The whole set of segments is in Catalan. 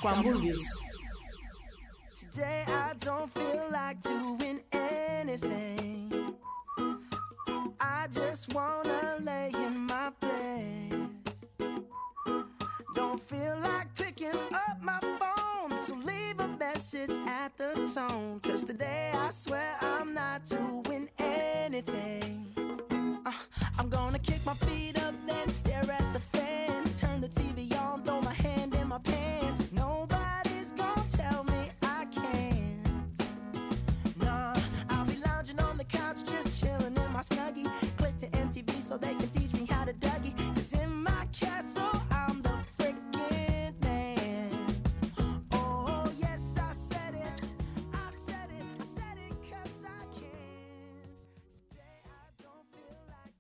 quan vulguis. Today I don't feel like doing anything. I just wanna lay in my bed. Don't feel like picking up my phone, so leave a message at the tone. 'Cause today I swear I'm not doing anything. I'm gonna kick my feet up, then stare at the fan. Turn the TV on, throw my hand in my pants. Nobody's gonna tell me I can't. Nah, I'll be lounging on the couch, just chilling in my Snuggie. Click to MTV so they can teach me how to Dougie. 'Cause in my castle I'm the freaking man. Oh yes, I said it, I said it, I said it 'cause I can. Today I don't feel like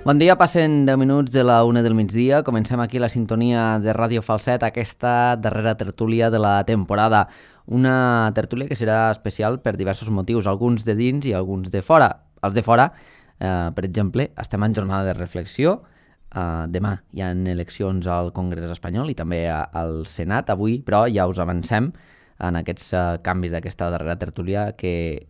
Bon dia, passen 10 minuts de la 1 del migdia. Comencem aquí la sintonia de Ràdio Falset, aquesta darrera tertúlia de la temporada. Una tertúlia que serà especial per diversos motius, alguns de dins i alguns de fora. Els de fora, per exemple, estem en jornada de reflexió. Demà hi ha eleccions al Congrés espanyol i també al Senat. Avui, però, ja us avancem en aquests canvis d'aquesta darrera tertúlia que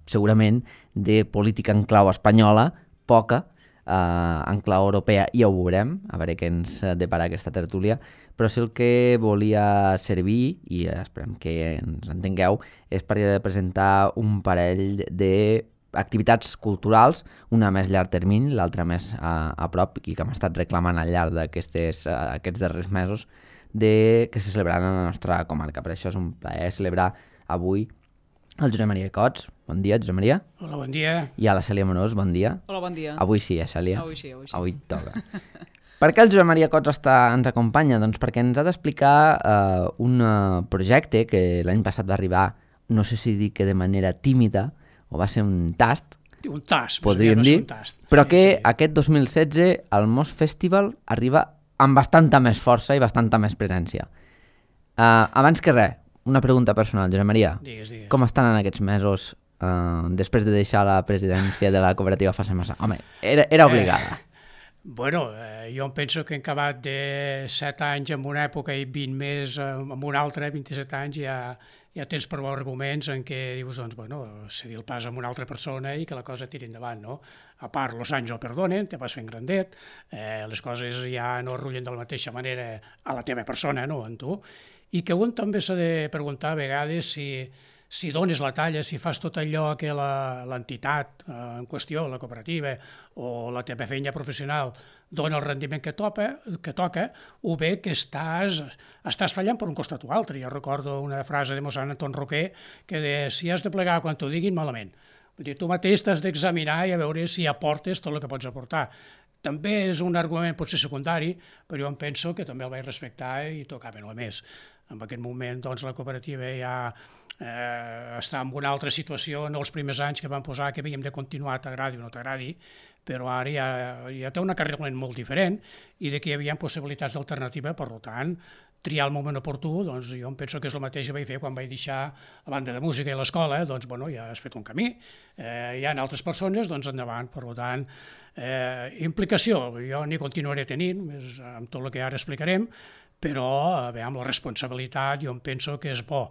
segurament de política en clau espanyola, poca, en clau europea ja ho veurem, a veure què ens depara aquesta tertúlia, però sí el que volia servir, i esperem que ens entengueu, és per presentar un parell d'activitats culturals, una més llarg termini, l'altra més a prop, i que hem estat reclamant al llarg d'aquests darrers mesos, que se celebraran a la nostra comarca. Per això és un plaer celebrar avui el Josep Maria Cots. Bon dia, Josep Maria. Hola, bon dia. I a la Cèlia Morós, bon dia. Hola, bon dia. Avui sí, Cèlia? Avui sí. Avui toca. Per què el Josep Maria Cots ens acompanya? Doncs perquè ens ha d'explicar un projecte que l'any passat va arribar, no sé si dir que de manera tímida, o va ser un tast, Un tast, podríem dir, però que aquest 2016 el Mos Festival arriba amb bastanta més força i bastanta més presència. Abans que res, una pregunta personal, Josep Maria. Digues. Com estan en aquests mesos després de deixar la presidència de la cooperativa Fase Massa? Home, era obligada. Bueno, jo em penso que en acabat de 7 anys en una època i 20 més en una altra, 27 anys, ja tens prou arguments en què dius, doncs, bueno, cedir el pas a una altra persona i que la cosa tiri endavant, no? A part, els anys no perdonen, te vas fent grandet, les coses ja no rullen de la mateixa manera a la teva persona, no?, en tu, i que un també s'ha de preguntar a vegades si dones la talla, si fas tot allò que l'entitat en qüestió, la cooperativa o la teva feina professional dona el rendiment que toca, o bé que estàs fallant per un costat o altre. Jo recordo una frase de mossèn Anton Roquer que deia, si has de plegar quan t'ho diguin, malament. Vull dir, tu mateix t'has d'examinar i a veure si aportes tot el que pots aportar. També és un argument potser secundari, però jo em penso que també el vaig respectar i tocava no més. En aquest moment doncs, la cooperativa ja està en una altra situació, no els primers anys que van posar que havíem de continuar, t'agradi o no t'agradi, però ara ja té una carrera molt diferent i que hi havia possibilitats d'alternativa, per tant, triar el moment oportú, doncs jo em penso que és el mateix que vaig fer quan vaig deixar la banda de música i l'escola, doncs bueno, ja has fet un camí, hi ha altres persones, doncs endavant, per tant, implicació, jo n'hi continuaré tenint, amb tot el que ara explicarem, però amb la responsabilitat jo em penso que és bo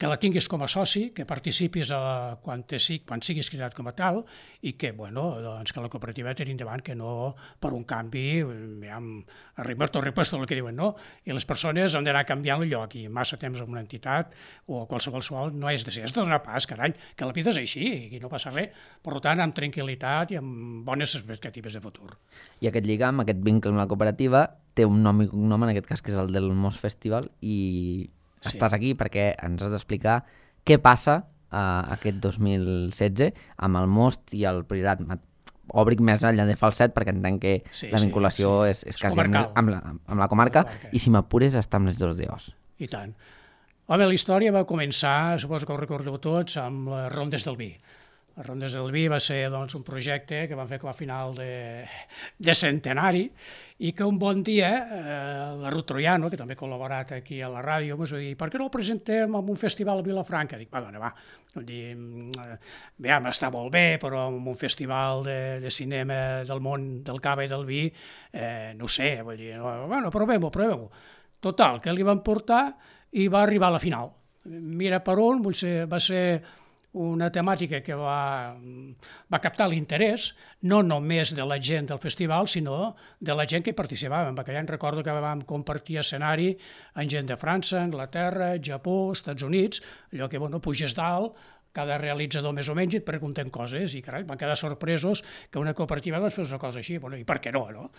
que la tinguis com a soci, que participis quan siguis cridat com a tal i que, bueno, doncs que la cooperativa tiri endavant, que no per un canvi, repuesto el que diuen, no? I les persones han d'anar canviant el lloc i massa temps en una entitat o qualsevol sual no és de ser, has de donar pas, carall, que la vida és així i no passa res. Per tant, amb tranquil·litat i amb bones expectatives de futur. I aquest lligam, aquest vincle amb la cooperativa, té un nom i cognom, en aquest cas que és el del Mos Festival, i estàs aquí perquè ens has d'explicar què passa aquest 2016 amb el Most i el Priorat. Obric més enllà de Falset perquè entenc que la vinculació és quasi amb la comarca i si m'apures està amb les dos d'Os. I tant. Home, la història va començar, suposo que ho recordeu tots, amb les Rondes del Vi. Les Rondes del Vi va ser doncs, un projecte que van fer com a final de centenari i que un bon dia la Ruth Troiano, que també ha col·laborat aquí a la ràdio, ens va dir, per què no el presentem en un festival a Vilafranca? Dic, va, dona, va. Està molt bé, però en un festival de cinema del món del cava i del vi, no ho sé, vull dir, bueno, provem-ho. Total, que li van portar i va arribar a la final. Mira per on, va ser una temàtica que va captar l'interès, no només de la gent del festival, sinó de la gent que hi participava. En aquell any recordo que vam compartir escenari amb gent de França, Anglaterra, Japó, Estats Units, allò que puges dalt, cada realitzador més o menys et pregunten coses i carai, van quedar sorpresos que una cooperativa fes una cosa així, i per què no?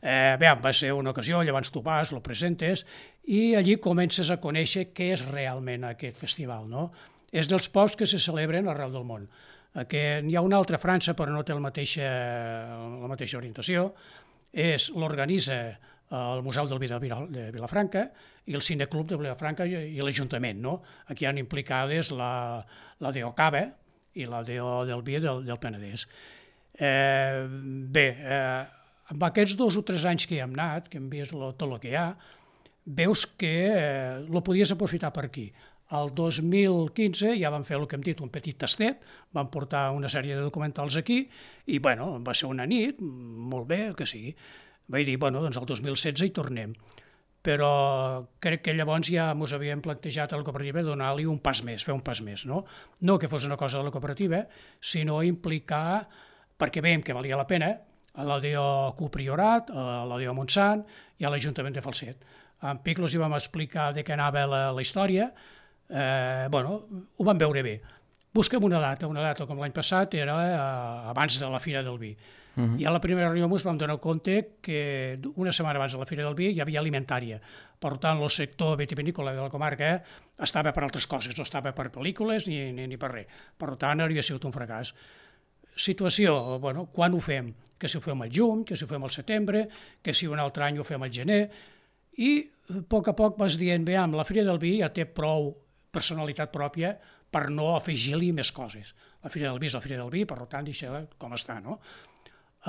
Va ser una ocasió, llavors tu vas, lo presentes i allí comences a conèixer què és realment aquest festival, no? És dels pocs que se celebren arreu del món. N'hi ha una altra a França, però no té la mateixa orientació. L'organitza el Museu del Vi de Vilafranca i el Cineclub de Vilafranca i l'Ajuntament, no? Aquí hi ha implicades la DO Cava i la DO del Vi del Penedès. Amb aquests 2 o 3 anys que hi hem anat, que hem vist tot el que hi ha, veus que ho podies aprofitar per aquí. El 2015 ja vam fer el que hem dit, un petit tastet, vam portar una sèrie de documentals aquí i va ser una nit, molt bé, que sigui. Vaig dir, doncs el 2016 hi tornem. Però crec que llavors ja ens havíem plantejat a la cooperativa donar-li un pas més, fer un pas més, no? No que fos una cosa de la cooperativa, sinó implicar, perquè veiem que valia la pena, a la DO Copriorat, a la DO Montsant i a l'Ajuntament de Falset. En Piclos hi vam explicar de què anava la història, ho vam veure bé. Busquem una data com l'any passat era abans de la Fira del Vi. I a la primera reunió ens vam donar compte que una setmana abans de la Fira del Vi hi havia alimentària. Per tant, el sector vitivinícola de la comarca estava per altres coses, no estava per pel·lícules ni per res. Per tant, hauria sigut un fracàs. Situació, quan ho fem? Que si ho fem al juny, que si ho fem al setembre, que si un altre any ho fem al gener. I a poc vas dient, amb la Fira del Vi ja té prou personalitat pròpia per no afegir-li més coses. La Fira del Vi és la Fira del Vi, per tant, deixa-la com està, no?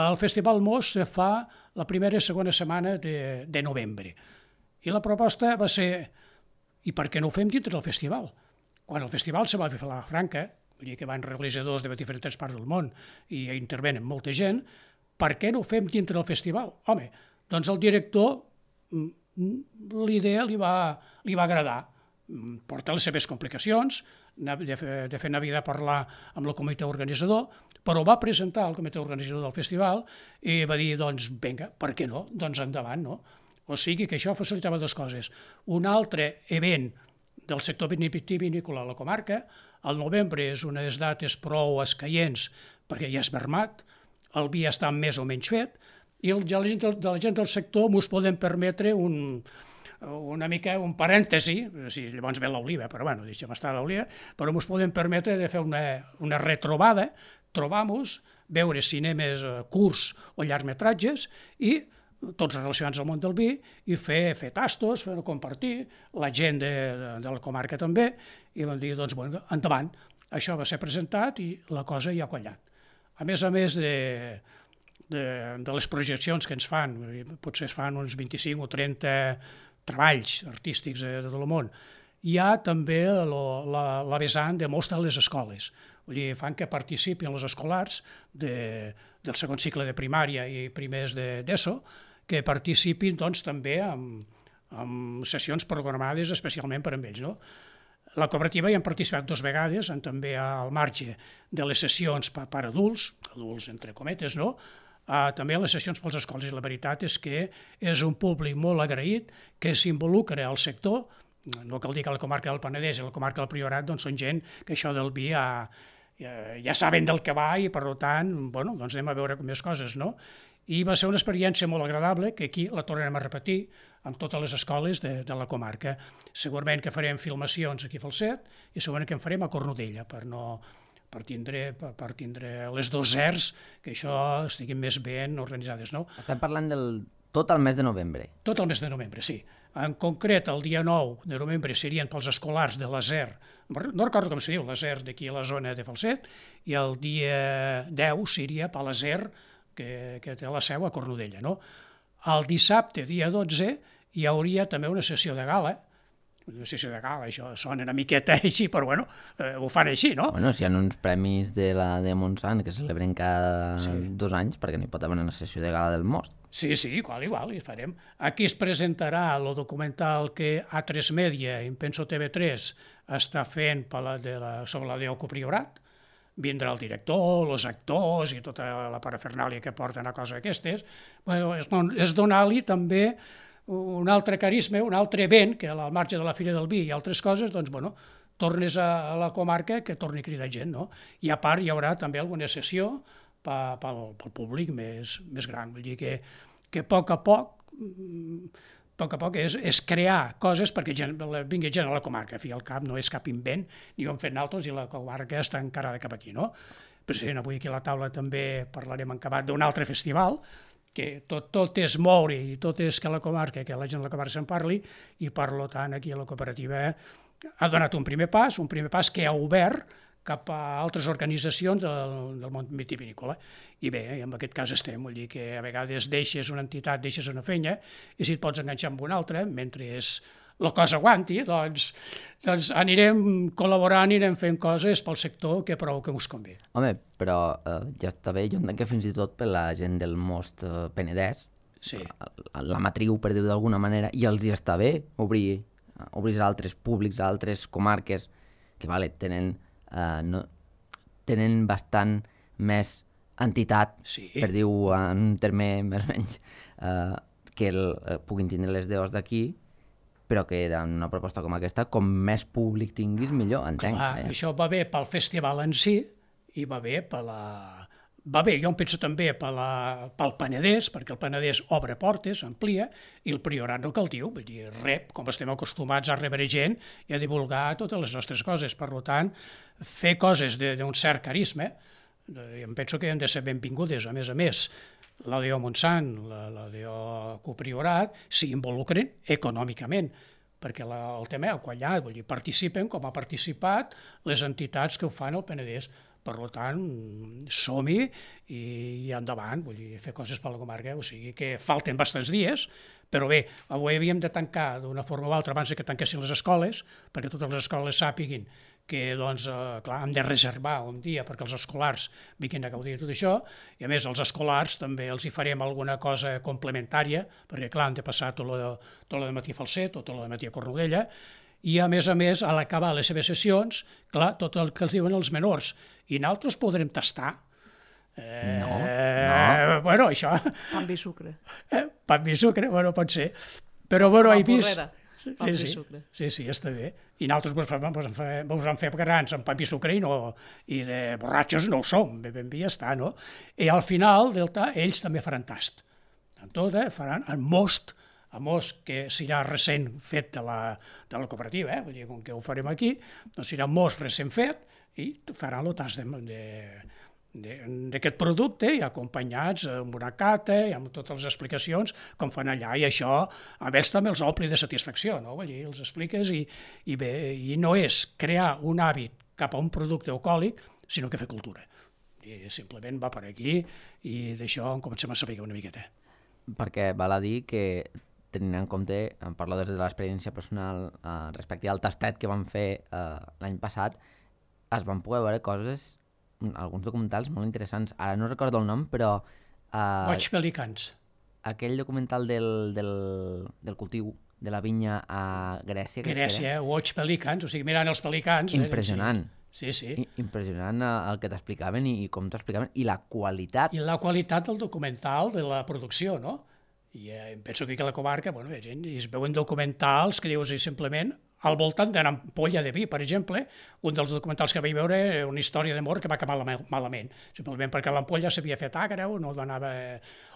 El Festival Mos se fa la primera i segona setmana de novembre. I la proposta va ser, i per què no ho fem dintre del festival? Quan el festival se va fer a Vilafranca, vull dir que van realitzadors de diferents parts del món i hi intervenen molta gent, per què no ho fem dintre del festival? Home, doncs al director l'idea li va agradar. Porta les seves complicacions, de fet n'havia de parlar amb el comitè organitzador, però va presentar al comitè organitzador del festival i va dir, doncs, vinga, per què no? Doncs endavant, no? O sigui que això facilitava 2 coses. Un altre event del sector vitivinícola a la comarca, al novembre és unes dates prou escaients perquè ja és vermat, el vi està més o menys fet, i la gent del sector ens podem permetre una mica un parèntesi, llavors ve l'oliva, però deixem estar l'oliva, però ens podem permetre de fer una retrobada, trobar-nos, veure cinemes curts o llargmetratges i tots relacionats al món del vi i fer tastos, fer compartir, la gent de la comarca també, i vam dir, doncs, endavant. Això va ser presentat i la cosa ja ha quallat. A més de les projeccions que ens fan, potser es fan uns 25 o 30 treballs artístics de tot el món, hi ha també la vessant de moltes de les escoles. Vull dir, fan que participin els escolars del segon cicle de primària i primers d'ESO, que participin doncs, també en sessions programades especialment per a ells. No? La cooperativa hi han participat 2 vegades, també al marge de les sessions per adults entre cometes, no? També a les sessions pels escoles, i la veritat és que és un públic molt agraït que s'involucra al sector. No cal dir que la comarca del Penedès i la comarca del Priorat doncs, són gent que això del vi ja saben del que va i per tant doncs anem a veure més coses. No? I va ser una experiència molt agradable que aquí la tornarem a repetir amb totes les escoles de la comarca. Segurament que farem filmacions aquí a Falset i segurament que en farem a Cornudella per tindre les 2 ERs que això estiguin més ben organitzades. No? Estem parlant del Tot el mes de novembre. Tot el mes de novembre, sí. En concret, el dia 9 de novembre serien pels escolars de l'ASER, no recordo com se diu, l'ASER d'aquí a la zona de Falset, i el dia 10 seria per l'ASER, que té la seu a Cornudella. No? El dissabte, dia 12, hi hauria també una sessió de gala. Una sessió de gala, això sona una miqueta així, però bueno, ho fan així, no? Bueno, si hi ha uns premis de la de Montsant que se celebren cada 2 anys, perquè no hi pot haver una sessió de gala del Most. Sí, igual, hi farem. Aquí es presentarà el documental que A3 Media, em penso TV3, està fent sobre la Déu Priorat. Vindrà el director, els actors i tota la parafernàlia que porten a coses aquestes. Bueno, és donar-li també un altre carisma, un altre vent, que al marge de la Fira del Vi i altres coses, doncs, bueno, tornes a la comarca que torni a cridar gent, no? I a part hi haurà també alguna sessió pel públic més gran. Vull dir que a poc a poc és crear coses perquè vingui gent a la comarca. A fi al cap no és cap invent, ni ho hem fet nosaltres i la comarca està encarada cap aquí, no? President, avui aquí a la taula també parlarem en acabat d'un altre festival, que tot és moure i tot és que la comarca, que la gent de la comarca se'n parli, i per tant aquí a la cooperativa ha donat un primer pas que ha obert cap a altres organitzacions del món vitivinícola. I bé, en aquest cas estem, vull dir que a vegades deixes una entitat, deixes una feina, i si et pots enganxar amb una altra, mentre la cosa aguanti, doncs anirem col·laborant, anirem fent coses pel sector que prou que us convé. Home, però ja està bé, jo entenc que fins i tot per la gent del Most Penedès, la matriu, per dir-ho d'alguna manera, i els hi està bé obrir a altres públics, a altres comarques, que tenen bastant més entitat, per dir-ho en un terme més o menys, que puguin tindre les DOs d'aquí, però que en una proposta com aquesta, com més públic tinguis, millor, entenc. Clar, això va bé pel festival en si i va bé jo em penso també pel Penedès, perquè el Penedès obre portes, amplia, i el Priorat no cal dir, vull dir, rep, com estem acostumats a rebre gent i a divulgar totes les nostres coses. Per tant, fer coses d'un cert carisma, em penso que han de ser benvingudes. A més, la DO Montsant, la DO Copriorat, s'hi involucren econòmicament, perquè el tema ha quallat, vull dir, participen com ha participat les entitats que ho fan al Penedès. Per tant, som-hi i endavant, vull dir, fer coses per la comarca, o sigui que falten bastants dies, però bé, avui havíem de tancar d'una forma o altra abans que tanquessin les escoles, perquè totes les escoles sàpiguin que, doncs, clar, hem de reservar un dia perquè els escolars vinguin a gaudir de tot això, i a més els escolars també els hi farem alguna cosa complementària, perquè clar, han de passar tot el matí a Falset, tot el matí a Cornudella, i a més, a l'acabar les seves sessions, clar, tot el que els diuen els menors, i nosaltres podrem tastar. No. Bueno, això... Pa i sucre. Pa i sucre, bueno, pot ser. Però, bueno, he vist... Sí, està bé. I nosaltres vos en fer grans amb pa i sucre i de borratxos no ho som, ben bé ja està, no? I al final, ells també faran tast. En tot, faran en most, que serà recent fet de la cooperativa, vull dir, com que ho farem aquí, doncs serà most recent fet i faran el tast d'aquest producte i acompanyats amb una cata i amb totes les explicacions com fan allà, i això a ells també els ompli de satisfacció, no? Vull dir, els expliques i bé, i no és crear un hàbit cap a un producte alcohòlic, sinó que fer cultura. I simplement va per aquí i d'això en comencem a saber una miqueta. Perquè val a dir que tenint en compte, em parlo des de l'experiència personal respecte al tastet que vam fer l'any passat, es van poder veure coses, alguns documentals molt interessants. Ara no recordo el nom, però... Boig Pelicans. Aquell documental del cultiu de la vinya a Grècia. Grècia, Boig Pelicans, o sigui, mirant els pelicans... Impressionant. Sí. Impressionant el que t'explicaven i com t'explicaven, i la qualitat. I la qualitat del documental, de la producció, no? I em penso que a la comarca, bueno, es veuen documentals que dius simplement al voltant d'una ampolla de vi, per exemple. Un dels documentals que vaig veure era una història d'amor que va acabar malament, simplement perquè l'ampolla s'havia fet agra o no donava...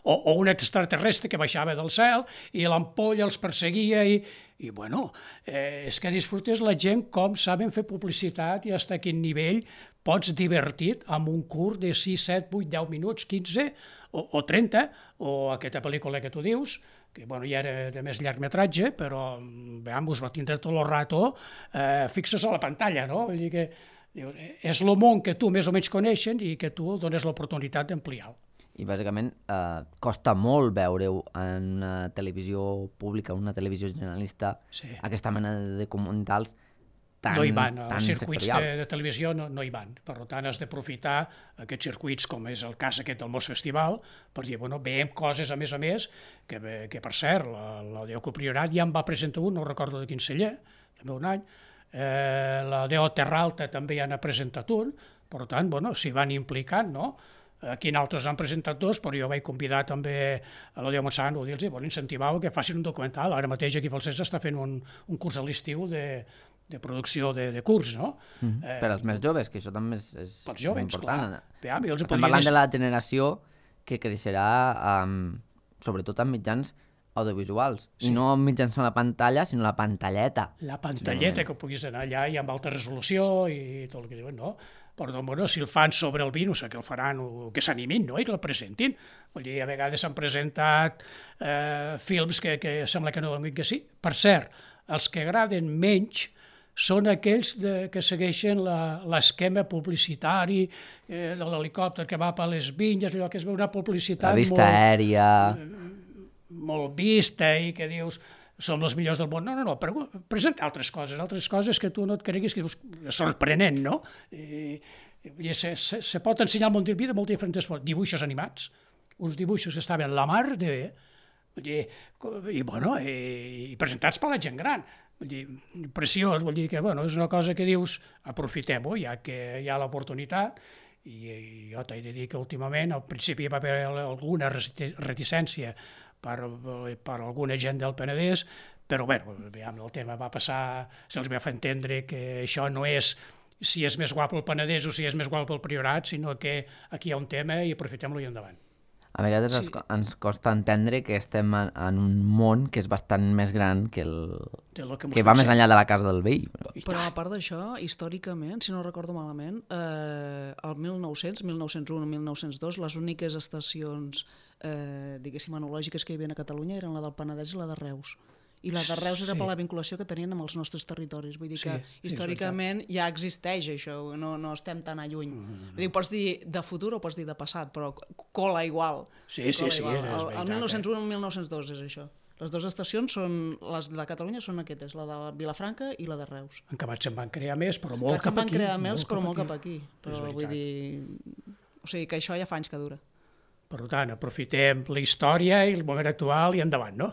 O un extraterrestre que baixava del cel i l'ampolla els perseguia i bueno, és que disfrutes la gent com saben fer publicitat i fins a quin nivell pots divertit amb un curt de 6, 7, 8, 10 minuts, 15 o 30, o aquesta pel·lícula que tu dius, que bueno, ja era de més llargmetratge, però veamos, va tindre tot el rato fixos a la pantalla, no? Vull dir que és el món que tu més o menys coneixen i que tu dones l'oportunitat d'ampliar-lo. I bàsicament costa molt veure-ho en una televisió pública, una televisió generalista, aquesta mena de documentals tan no hi van, els circuits sectorials. de televisió no hi van, per tant has d'aprofitar aquests circuits com és el cas aquest del Mos Festival per dir, bueno, veiem coses a més, que per cert, la DO Priorat ja en va presentar un, no recordo de quin celler, també un any, la DO Terra Alta també ja n'ha presentat un, per tant, bueno, s'hi van implicant, no? Aquí en altres han presentat dos, però jo vaig convidar també a la DO Montsant, dir-los, bueno, incentivar que facin un documental. Ara mateix aquí a Falset està fent un curs a l'estiu de producció de curs, no? Per als més joves, que això també és joves, important. Clar. Estem parlant de la generació que creixerà sobretot amb mitjans audiovisuals, i no mitjançant la pantalla, sinó la pantalleta. La pantalleta, que puguis anar allà i amb alta resolució i tot el que diuen, no? Però bueno, si el fan sobre el vi, no sé què el faran, o que s'animin, no?, i que el presentin. Vull dir, a vegades s'han presentat films que sembla que no donin que sí. Per cert, els que agraden menys són aquells que segueixen l'esquema publicitari de l'helicòpter que va per les vinyes, allò que es veu una publicitat la vista aèria, molt vista i que dius som els millors del món. No, presenta altres coses que tu no et creguis, que dius, sorprenent, no? Se pot ensenyar molt de moltes diferents formes. Dibuixos animats, uns dibuixos que estaven la mar de bé, i presentats per la gent gran. Vull dir, preciós, vull dir que és una cosa que dius, aprofitem-ho, ja que hi ha l'oportunitat, i jo t'he de dir que últimament, al principi va haver alguna reticència per alguna gent del Penedès, però el tema va passar, se'ls va fer entendre que això no és si és més guapo el Penedès o si és més guapo el Priorat, sinó que aquí hi ha un tema i aprofitem-lo i endavant. A vegades ens costa entendre que estem en un món que és bastant més gran que va més enllà de la casa del veí. Però a part d'això, històricament, si no recordo malament, el 1900, 1901, 1902, les úniques estacions diguéssim enològiques que hi havia a Catalunya eren la del Penedès i la de Reus. I la de Reus era per la vinculació que tenien amb els nostres territoris. Vull dir que històricament ja existeix això, no estem tan a lluny. Vull dir, pots dir de futur o pots dir de passat, però cola igual. Sí. El 1901 i el 1902 és això. Les dues estacions, les de Catalunya, són aquestes, la de Vilafranca i la de Reus. En acabat se'n van crear més, però molt cap aquí. Se'n van crear més, però molt cap aquí. Però vull dir... O sigui, que això ja fa anys que dura. Per tant, aprofitem la història i el moment actual i endavant, no?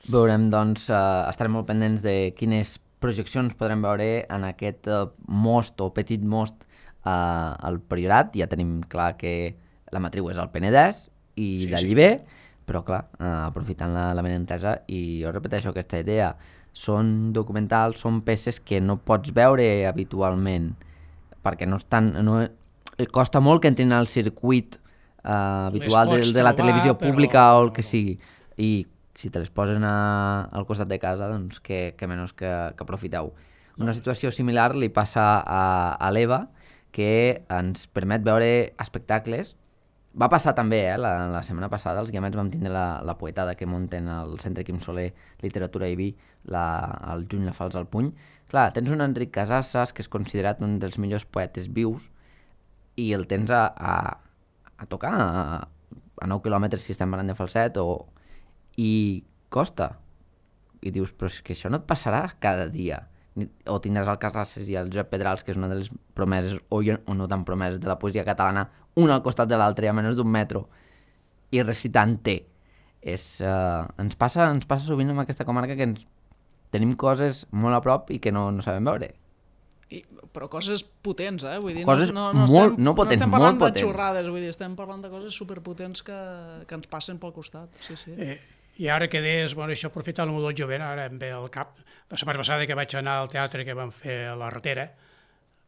Veurem, doncs, estarem molt pendents de quines projeccions podrem veure en aquest most o petit most al Priorat. Ja tenim clar que la matriu és al Penedès i d'allí ve, però clar, aprofitant la benentesa, i jo repeteixo aquesta idea, són documentals, són peces que no pots veure habitualment, perquè no estan... costa molt que entrin al circuit habitual de la televisió pública o el que sigui, i si te les posen al costat de casa, doncs que menys que aprofiteu. Una situació similar li passa a l'EVA, que ens permet veure espectacles. Va passar també, la setmana passada, els guiamets vam tindre la poetada que munten al Centre Quim Soler, Literatura i Vi, al juny la Fals al Puny. Clar, tens un Enric Casasses, que és considerat un dels millors poetes vius, i el tens a tocar a 9 quilòmetres si estem parlant de Falset, i costa. I dius, però és que això no et passarà cada dia. O tindràs el Casasses i el Josep Pedrals, que és una de les promeses, o no tan promeses, de la poesia catalana, un al costat de l'altre, a menys d'un metro, i recitant-te. Ens passa sovint en aquesta comarca que tenim coses molt a prop i que no sabem veure. Però coses potents, vull dir, coses no estem parlant de xorrades, vull dir, estem parlant de coses superpotents que ens passen pel costat. Sí. I ara que deies, bueno, això aprofitant el món del jovent, ara em ve al cap, la setmana passada que vaig anar al teatre que van fer a la Ratera,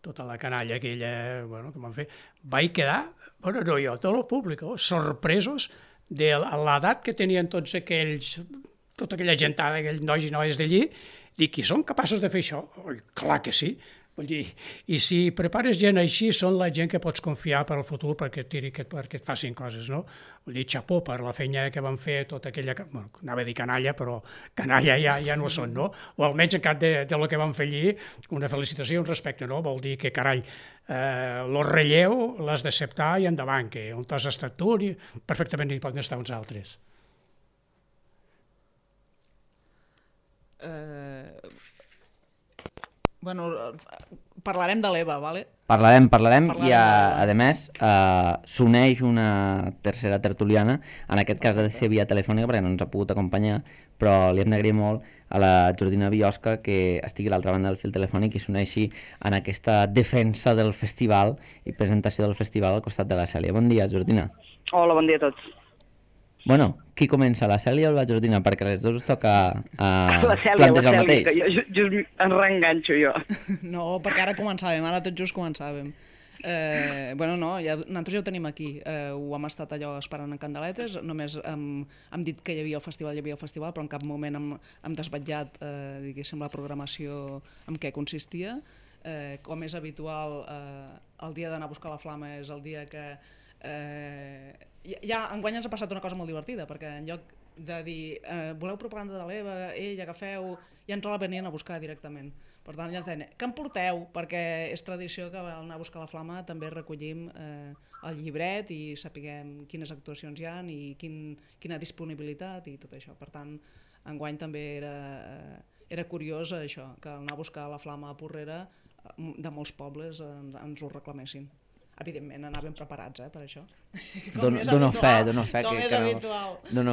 tota la canalla aquella, bueno, que van fer, vaig quedar, bueno, no jo, tot el públic, sorpresos de l'edat que tenien tots aquells, tota aquella gentada, aquells nois i noies d'allí, dic, i són capaços de fer això? Clar que sí. Vull dir, i si prepares gent així, són la gent que pots confiar per al futur perquè et facin coses, no? Vull dir, xapó per la feina que van fer tota aquella... Bueno, anava a dir canalla, però canalla ja no són, no? O almenys en cap de lo que van fer allí, una felicitació i un respecte, no? Vol dir que, carall, lo relleu l'has d'acceptar i endavant, que on t'has estat tu, perfectament hi poden estar uns altres. Bueno, parlarem de l'Eva, ¿vale? Parlarem i a més s'uneix una tercera tertuliana, en aquest cas ha de ser via telefònica perquè no ens ha pogut acompanyar, però li hem d'agrair molt a la Jordina Biosca que estigui a l'altra banda del fil telefònic i s'uneixi en aquesta defensa del festival i presentació del festival al costat de la Cèlia. Bon dia, Jordina. Hola, bon dia a tots. Bueno, qui comença, la Cèlia o la Jordina? Perquè a les dues us toca la Cèlia, plantejar el mateix. Que jo just em reenganxo jo. No, perquè ara començàvem, ara tot just començàvem. Bueno, no, nosaltres ja ho tenim aquí. Ho hem estat allò esperant en candeletes, només hem dit que hi havia el festival, però en cap moment hem desvetllat, diguéssim, la programació en què consistia. Com és habitual, el dia d'anar a buscar la flama és el dia que... Ja enguany ens ha passat una cosa molt divertida, perquè en lloc de dir voleu propaganda de l'Eva, agafeu, ja ens la venien a buscar directament. Per tant, ja ens deien, què em porteu? Perquè és tradició que al anar a buscar la flama també recollim el llibret i sapiguem quines actuacions hi ha i quina disponibilitat i tot això. Per tant, enguany també era curiós això, que al anar a buscar la flama a Porrera de molts pobles ens ho reclamessin. Evidentment, anàvem preparats per això. Dono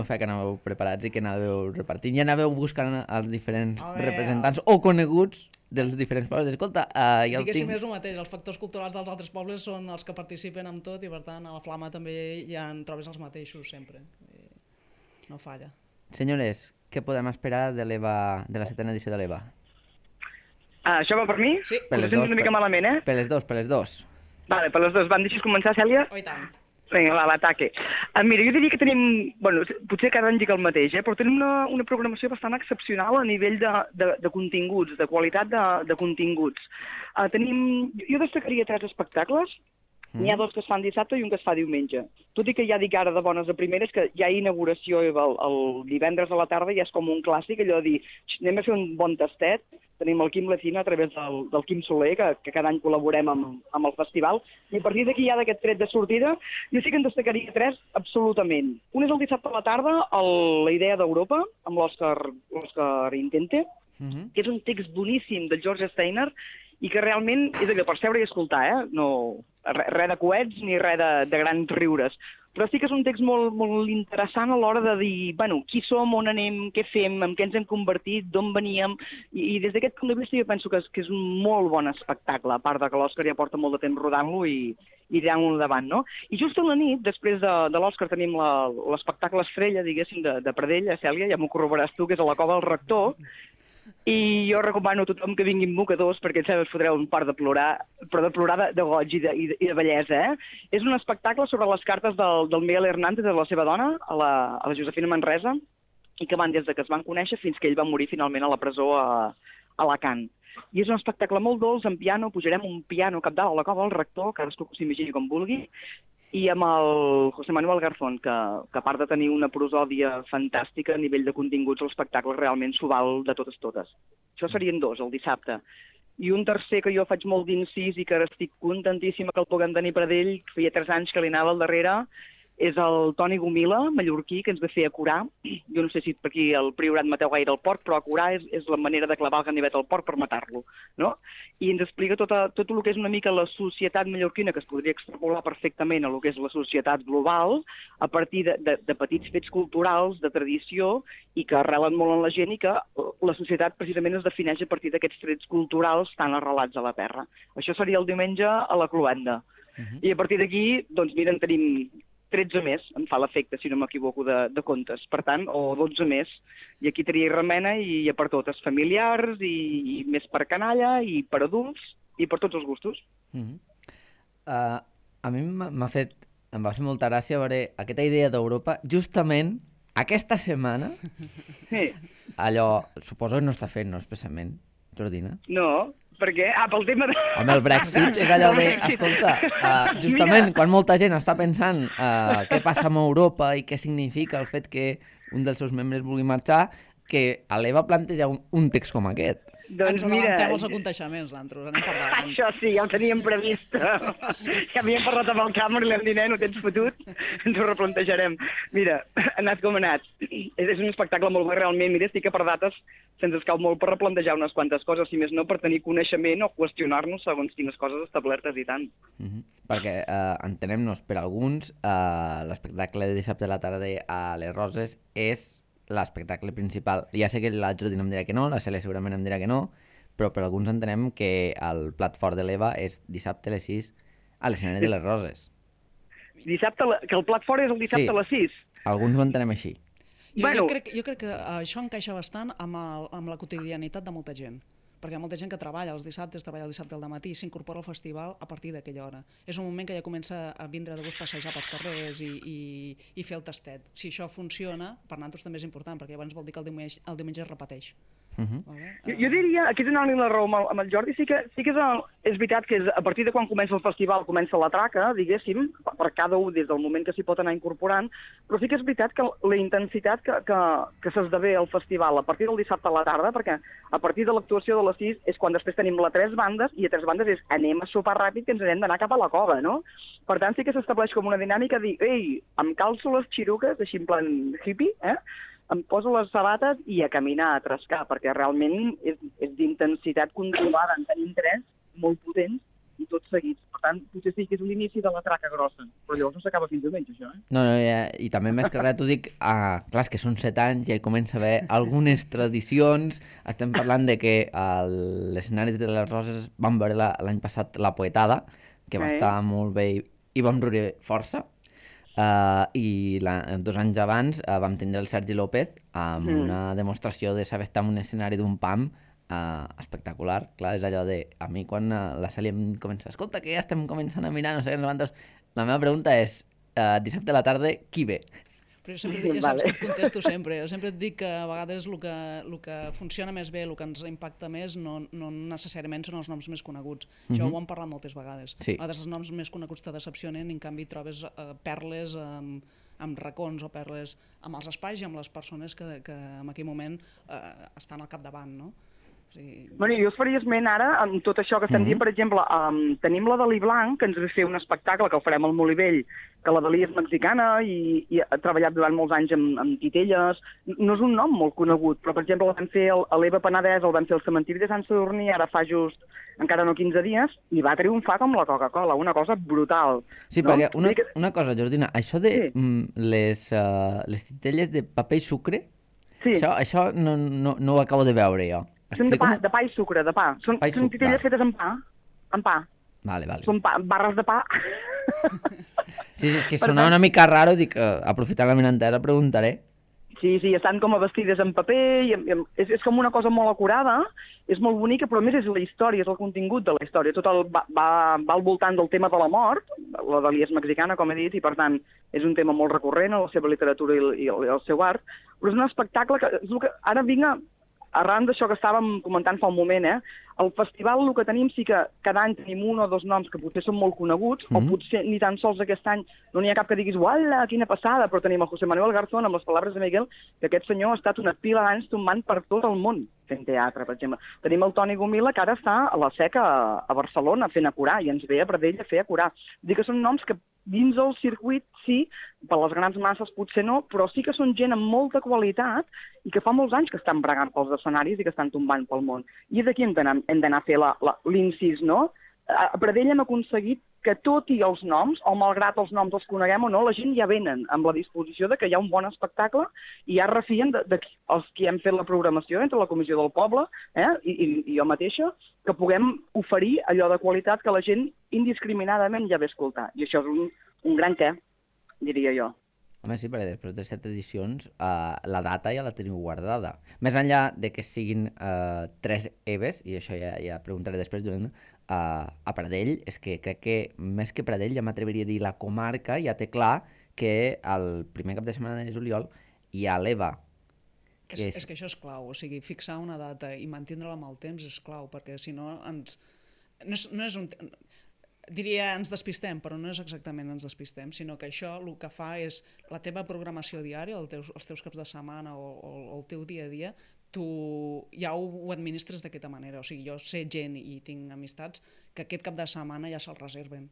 fe que anàveu preparats i que anàveu repartint. I anàveu buscant els diferents representants o coneguts dels diferents pobles. Escolta, diguéssim, és el mateix. Els factors culturals dels altres pobles són els que participen amb tot i, per tant, a la flama també ja en trobes els mateixos sempre. No falla. Senyores, què podem esperar de la setena edició de l'Eva? Això va per mi? Sí. Per les dos. Una mica malament, Per les dos. Vale, per les dues. Vam deixar començar, Cèlia? Oh, i tant. Vinga, va, l'ataque. Mira, jo diria que tenim, bueno, potser cada any dic el mateix, però tenim una programació bastant excepcional a nivell de continguts, de qualitat de continguts. Jo destacaria 3 espectacles. N'hi ha 2 que es fan dissabte i un que es fa diumenge. Tot i que ja dic ara de bones a primeres que hi ha inauguració el divendres a la tarda i és com un clàssic, allò de dir, anem a fer un bon tastet. Tenim el Quim Lecina a través del Quim Soler, que cada any col·laborem amb el festival, i a partir d'aquí ja d'aquest tret de sortida, jo sí que en destacaria 3 absolutament. Un és el dissabte a la tarda, la idea d'Europa, amb l'Òscar Intente, que és un text boníssim del George Steiner, i que realment és allò per seure i escoltar, no res de coets ni res de grans riures. Però sí que és un text molt, molt interessant a l'hora de dir, bueno, qui som, on anem, què fem, en què ens hem convertit, d'on veníem, i des d'aquest punt de vista jo penso que és un molt bon espectacle, a part de que l'Òscar ja porta molt de temps rodant-lo i tirant-lo endavant, no? I just a la nit, després de l'Òscar, tenim l'espectacle estrella, diguéssim, de Pradell, Cèlia, ja m'ho corroboràs tu, que és a la Cova del Rector, i jo recomano a tothom que vinguin mocadors perquè ens fotreu un part de plorar, però de plorar de goig i de bellesa. És un espectacle sobre les cartes del Miguel Hernández, de la seva dona, a la Josefina Manresa, i que van des que es van conèixer fins que ell va morir finalment a la presó a Alacant. I és un espectacle molt dolç, en piano, pujarem un piano cap dalt a la Cova del Rector, cadascú que s'imagini com vulgui, i amb el José Manuel Garzón, que a part de tenir una prosòdia fantàstica a nivell de continguts, l'espectacle realment s'ho val de totes. Això serien 2, el dissabte. I un tercer que jo faig molt d'incís i que ara estic contentíssima que el puguem tenir per ell, que feia 3 anys que li anava al darrere, és el Toni Gomila, mallorquí, que ens ve fer a Corà. Jo no sé si per aquí el Priorat mateu gaire el porc, però a Corà és la manera de clavar el ganivet al porc per matar-lo, no? I ens explica tot el que és una mica la societat mallorquina, que es podria extrapolar perfectament a el que és la societat global, a partir de petits fets culturals, de tradició, i que arrelen molt en la gent, i que la societat precisament es defineix a partir d'aquests trets culturals tan arrelats a la terra. Això seria el diumenge a la Cloenda. I a partir d'aquí, doncs mira, en tenim 13 més, em fa l'efecte, si no m'equivoco, de contes. Per tant, o 12 més. I aquí tria i remena i hi ha per totes, familiars, i més per canalla, i per adults, i per tots els gustos. A mi em va fer molta gràcia veure aquesta idea d'Europa justament aquesta setmana. Sí. Allò, suposo que no està fent, no, especialment, Jordina? No, per què? Pel tema de... Home, el Brexit és allò de, escolta, justament quan molta gent està pensant què passa amb Europa i què significa el fet que un dels seus membres vulgui marxar, que a l'EVA planteja un text com aquest. Ens adavantem els aconteixements, nosaltres, anem per davant. Això sí, ja ho teníem previst. Ja havíem parlat amb el Cameron i li hem dit, no tens fotut, ens ho replantejarem. Mira, ha anat com ha anat. És un espectacle molt bo, realment. Mira, estic a per dates, se'ns escau molt per replantejar unes quantes coses, si més no per tenir coneixement o qüestionar-nos segons quines coses establertes i tant. Perquè, entenem-nos, per alguns, l'espectacle de dissabte a la tarda a les Roses és l'espectacle principal. Ja sé que la Jordina em dirà que no, la Cèlia segurament em dirà que no, però per alguns entenem que el plat fort de l'EVA és dissabte a les 6 a l'escenari de les Roses. Dissabte, que el plat fort és el dissabte a les 6? Alguns ho entenem així. Jo crec que això encaixa bastant amb la quotidianitat de molta gent, perquè hi ha molta gent que treballa els dissabtes, treballa el dissabte al dematí i s'incorpora al festival a partir d'aquella hora. És un moment que ja comença a vindre de gust passejar pels carrers i fer el tastet. Si això funciona, per nosaltres també és important, perquè llavors vol dir que el diumenge es repeteix. Vale? Jo diria, aquí donant-li la raó amb el Jordi, sí que és veritat que a partir de quan comença el festival comença la traca, diguéssim, per cada un des del moment que s'hi pot anar incorporant, però sí que és veritat que la intensitat que s'esdevé al festival a partir del dissabte a la tarda, perquè a partir de l'actuació de les 6 és quan després tenim les 3 bandes, i a 3 bandes és anem a sopar ràpid que ens hem d'anar cap a la cova, no? Per tant, sí que s'estableix com una dinàmica de dir, ei, em calço les xiruques, així en plan hippie, em poso les sabates i a caminar, a trascar, perquè realment és d'intensitat controlada. En tenim 3 molt potents i tots seguits. Per tant, potser sí que és l'inici de la traca grossa, però llavors no s'acaba fins diumenge, això, No, i també més que res t'ho dic, clar, és que són 7 anys i ja hi comença a haver algunes tradicions. Estem parlant de que a l'escenari de les Roses vam veure l'any passat La Poetada, que va estar molt bé i vam riure força. I 2 anys abans vam tindre el Sergi López amb una demostració de saber estar en un escenari d'un PAM espectacular. Clar, és allò de, a mi quan la Cèlia em comença, escolta, que ja estem començant a mirar, no sé, la meva pregunta és, dissabte a la tarda, qui ve? Però jo sempre saps que et contesto sempre. Jo sempre et dic que a vegades el que funciona més bé, el que ens impacta més, no necessàriament són els noms més coneguts. Això ho hem parlat moltes vegades. Sí. A vegades els noms més coneguts te decepcionen i en canvi trobes perles amb racons o perles amb els espais i amb les persones que en aquell moment estan al capdavant, no? Bueno, jo us faria esment ara, amb tot això que estem dient, per exemple, tenim la Dalí Blanc, que ens ve fer un espectacle que el farem al Molivell, que la Dalí és mexicana i ha treballat durant molts anys amb titelles. No és un nom molt conegut, però, per exemple, el vam fer a l'Eva Penedès, el vam fer al cementiri de Sant Sadurní, ara fa just encara no 15 dies, i va triomfar com la Coca-Cola, una cosa brutal. Sí, no? Perquè una cosa, Jordina, això de les titelles de paper i sucre, això no ho acabo de veure jo. Són de pa i sucre, de pa. Són titelles fetes amb pa. Vale. Són barres de pa. Sí, és que sonava una mica raro, dic, aprofitant la meva entesa, preguntaré. Sí, estan com a vestides en paper, és com una cosa molt acurada, és molt bonica, però a més és la història, és el contingut de la història. Tot va al voltant del tema de la mort, la Dalí és mexicana, com he dit, i per tant és un tema molt recurrent a la seva literatura i el seu art, però és un espectacle que és el que ara vinc arran d'això que estàvem comentant fa un moment, el festival el que tenim sí que cada any tenim 1 o 2 noms que potser són molt coneguts, o potser ni tan sols aquest any no n'hi ha cap que diguis, uala, quina passada, però tenim el José Manuel Garzón amb les paraules de Miguel, que aquest senyor ha estat una pila d'anys tombant per tot el món fent teatre, per exemple. Tenim el Toni Gomila, que ara està a la Seca a Barcelona fent Acurar, i ens ve a Pradell a fer Acurar. Dic que són noms que dins el circuit sí, per les grans masses potser no, però sí que són gent amb molta qualitat i que fa molts anys que estan bregant pels escenaris i que estan tombant pel món. I d'aquí hem d'anar a fer l'incís, no? A Pradell hem aconseguit que tot i els noms, o malgrat els noms els coneguem o no, la gent ja venen amb la disposició de que hi ha un bon espectacle i ja refien els que hem fet la programació entre la Comissió del Poble i jo mateixa, que puguem oferir allò de qualitat que la gent indiscriminadament ja ve a escoltar. I això és un gran què. diria jo. Home, sí, perquè després de 7 edicions la data ja la teniu guardada. Més enllà de que siguin 3 EVEs, i això ja preguntaré després, a Pradell, és que crec que més que Pradell ja m'atreviria a dir la comarca ja té clar que el primer cap de setmana de juliol hi ha l'EVA. És que això és clau, o sigui, fixar una data i mantindre-la amb el temps és clau, perquè si no ens... No és un... Diria ens despistem, però no és exactament ens despistem, sinó que això el que fa és la teva programació diària, els teus caps de setmana o el teu dia a dia, tu ja ho administres d'aquesta manera. O sigui, jo sé gent i tinc amistats que aquest cap de setmana ja se'l reserven.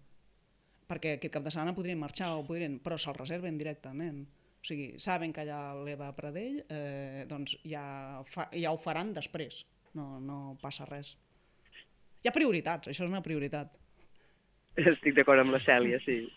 Perquè aquest cap de setmana podrien marxar, però se'l reserven directament. O sigui, saben que allà l'Eva a Pradell, doncs ja ho faran després. No passa res. Hi ha prioritats, això és una prioritat. Estic d'acord amb la Cèlia, sí.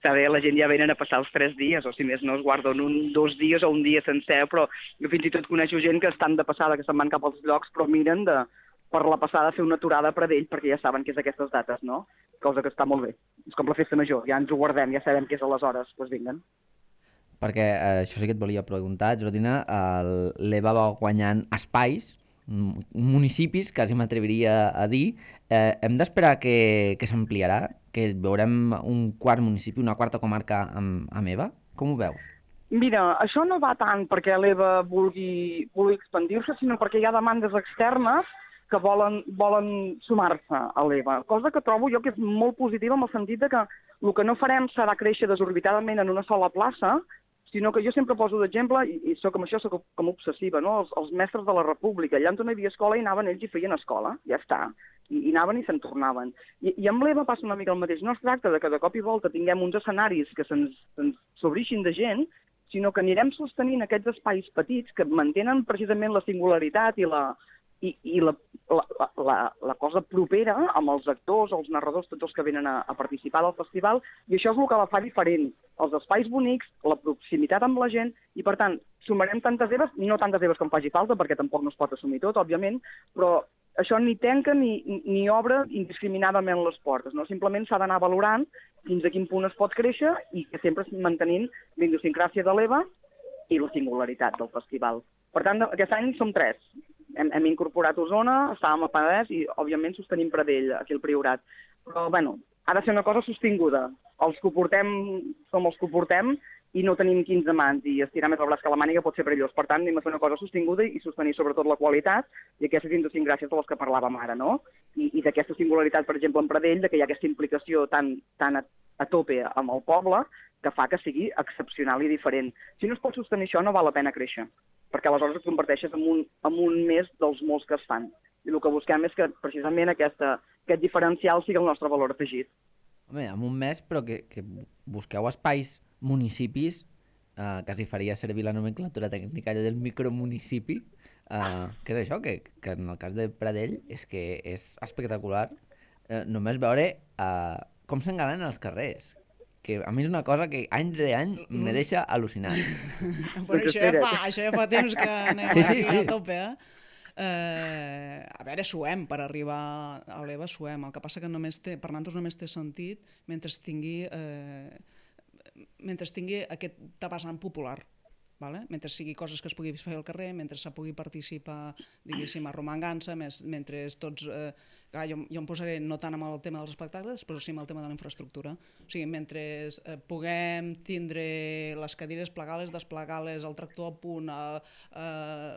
Saber, la gent ja venen a passar els 3 dies, o si més no es guarden 2 dies o un dia sencer, però jo fins i tot coneixo gent que estan de passada, que se'n van cap als llocs, però miren per la passada fer una aturada a Pradell, perquè ja saben que és aquestes dates, no? Cosa que està molt bé. És com la festa major, ja ens ho guardem, ja sabem que és aleshores, doncs vinguen. Perquè això sí que et volia preguntar, Jordina, l'EVA va guanyant espais, municipis, quasi m'atreviria a dir. Hem d'esperar que s'ampliarà, que veurem un quart municipi, una quarta comarca amb EVA? Com ho veus? Mira, això no va tant perquè l'EVA vulgui expandir-se, sinó perquè hi ha demandes externes que volen sumar-se a l'EVA, cosa que trobo jo que és molt positiva en el sentit que el que no farem serà créixer desorbitadament en una sola plaça, sinó que jo sempre poso d'exemple, i amb això soc com obsessiva, no? Els mestres de la República, allà on no hi havia escola hi anaven ells i feien escola, ja està, i anaven i se'n tornaven. I amb l'EVA passa una mica el mateix, no es tracta de que de cop i volta tinguem uns escenaris que se'ns s'obrixin de gent, sinó que anirem sostenint aquests espais petits que mantenen precisament la singularitat i la cosa propera amb els actors, els narradors, tots els que venen a participar del festival, i això és el que la fa diferent. Els espais bonics, la proximitat amb la gent, i per tant, sumarem tantes EVAs, no tantes EVAs com faci falta, perquè tampoc no es pot assumir tot, òbviament, però això ni tanca ni obre indiscriminadament les portes, no? Simplement s'ha d'anar valorant fins a quin punt es pot créixer i que sempre mantenint la idiosincràsia de l'EVA i la singularitat del festival. Per tant, aquest any som 3. Hem incorporat Osona, estàvem a Penedès i, òbviament, sostenim Pradell, aquí al Priorat. Però, bueno, ha de ser una cosa sostinguda. Els que ho portem som els que ho portem i no tenim 15 mans i estirar més el braç que la màniga pot ser perillós. Per tant, anem a fer una cosa sostinguda i sostenir sobretot la qualitat i aquestes idiosincràcies de les que parlàvem ara, no? I d'aquesta singularitat, per exemple, en Pradell, que hi ha aquesta implicació tan a tope amb el poble que fa que sigui excepcional i diferent. Si no es pot sostenir això, no val la pena créixer, perquè aleshores et converteixes en un més dels molts que es fan. I el que busquem és que precisament aquest diferencial sigui el nostre valor afegit. Home, amb un mes, però que busqueu espais, municipis, quasi faria servir la nomenclatura tècnica del micromunicipi, que és això, que en el cas de Pradell és que és espectacular només veure com s'engalanen els carrers, que a mi és una cosa que any rere any me deixa al·lucinant. Però això ja fa temps que anem a tope, a veure, suem, per arribar a l'EVA suem, el que passa que per nosaltres només té sentit mentre tingui aquest vessant popular. Mentre sigui coses que es pugui fer al carrer, mentre se pugui participar, diguéssim, arromangança, mentre tots... Jo em posaré no tant amb el tema dels espectacles, però sí amb el tema de la infraestructura. O sigui, mentre puguem tindre les cadires plegades, desplegades, el tractor a punt,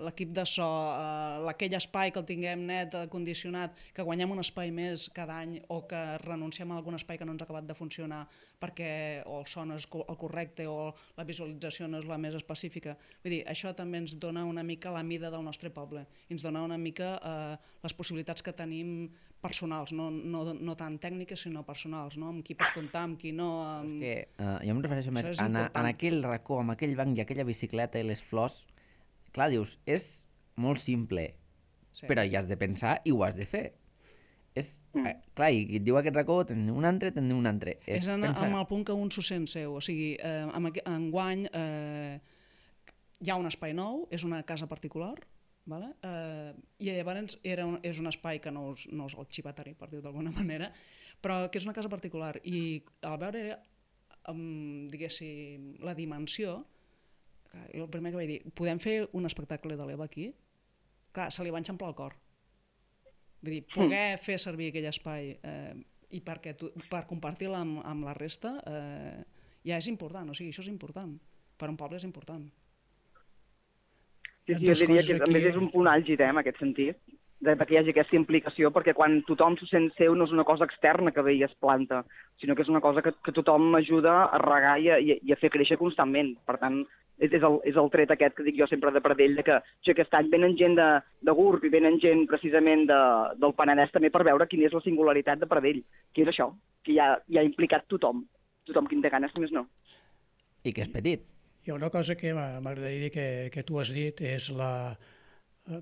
l'equip de so, aquell espai que el tinguem net, condicionat, que guanyem un espai més cada any o que renunciem a algun espai que no ens ha acabat de funcionar perquè o el so no és el correcte o la visualització no és la més específica. Vull dir, això també ens dona una mica la mida del nostre poble i ens dona una mica les possibilitats que tenim personals, no tant tècniques sinó personals, amb qui pots comptar, amb qui no... És que jo em refereixo més en aquell racó, amb aquell banc i aquella bicicleta i les flors. Clar, dius, és molt simple, però hi has de pensar i ho has de fer. Clar, i et diu aquest racó, tenim un altre, tenim un altre. És amb el punt que un s'ho sent seu, o sigui, enguany hi ha un espai nou, és una casa particular, i llavors és un espai que no és el xivatari, per dir-ho d'alguna manera, però que és una casa particular i al veure diguéssim, la dimensió, jo el primer que vaig dir, podem fer un espectacle de l'Eva aquí? Clar, se li va enxamplar el cor. Vull dir, poder fer servir aquell espai i per compartir-la amb la resta ja és important, o sigui, això és important. Per un poble és important. Sí, jo diria que a més és un punt àlgid, en aquest sentit, perquè hi hagi aquesta implicació, perquè quan tothom s'ho sent seu no és una cosa externa que ve i es planta, sinó que és una cosa que tothom ajuda a regar i a fer créixer constantment. Per tant, és el tret aquest que dic jo sempre de Pradell, que aquest any venen gent de GURB i venen gent precisament del Penedès també per veure quina és la singularitat de Pradell, que és això, que hi ha implicat tothom que en té ganes, només no. I que és petit. Hi ha una cosa que m'agradaria dir que tu has dit, és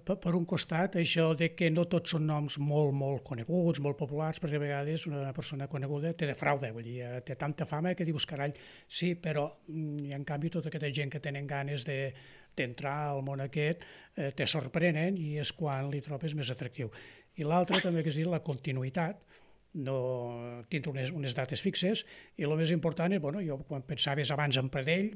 per un costat, això de que no tots són noms molt coneguts, molt populars, perquè a vegades una persona coneguda te defrauda, vull dir, té tanta fama que dius, carai, sí, però i en canvi tota aquesta gent que tenen ganes d'entrar al món aquest te sorprenen i és quan li trobes més atractiu. I l'altre també que és dir la continuïtat, no tindre unes dates fixes, i el més important és, jo quan pensaves abans en Pradell,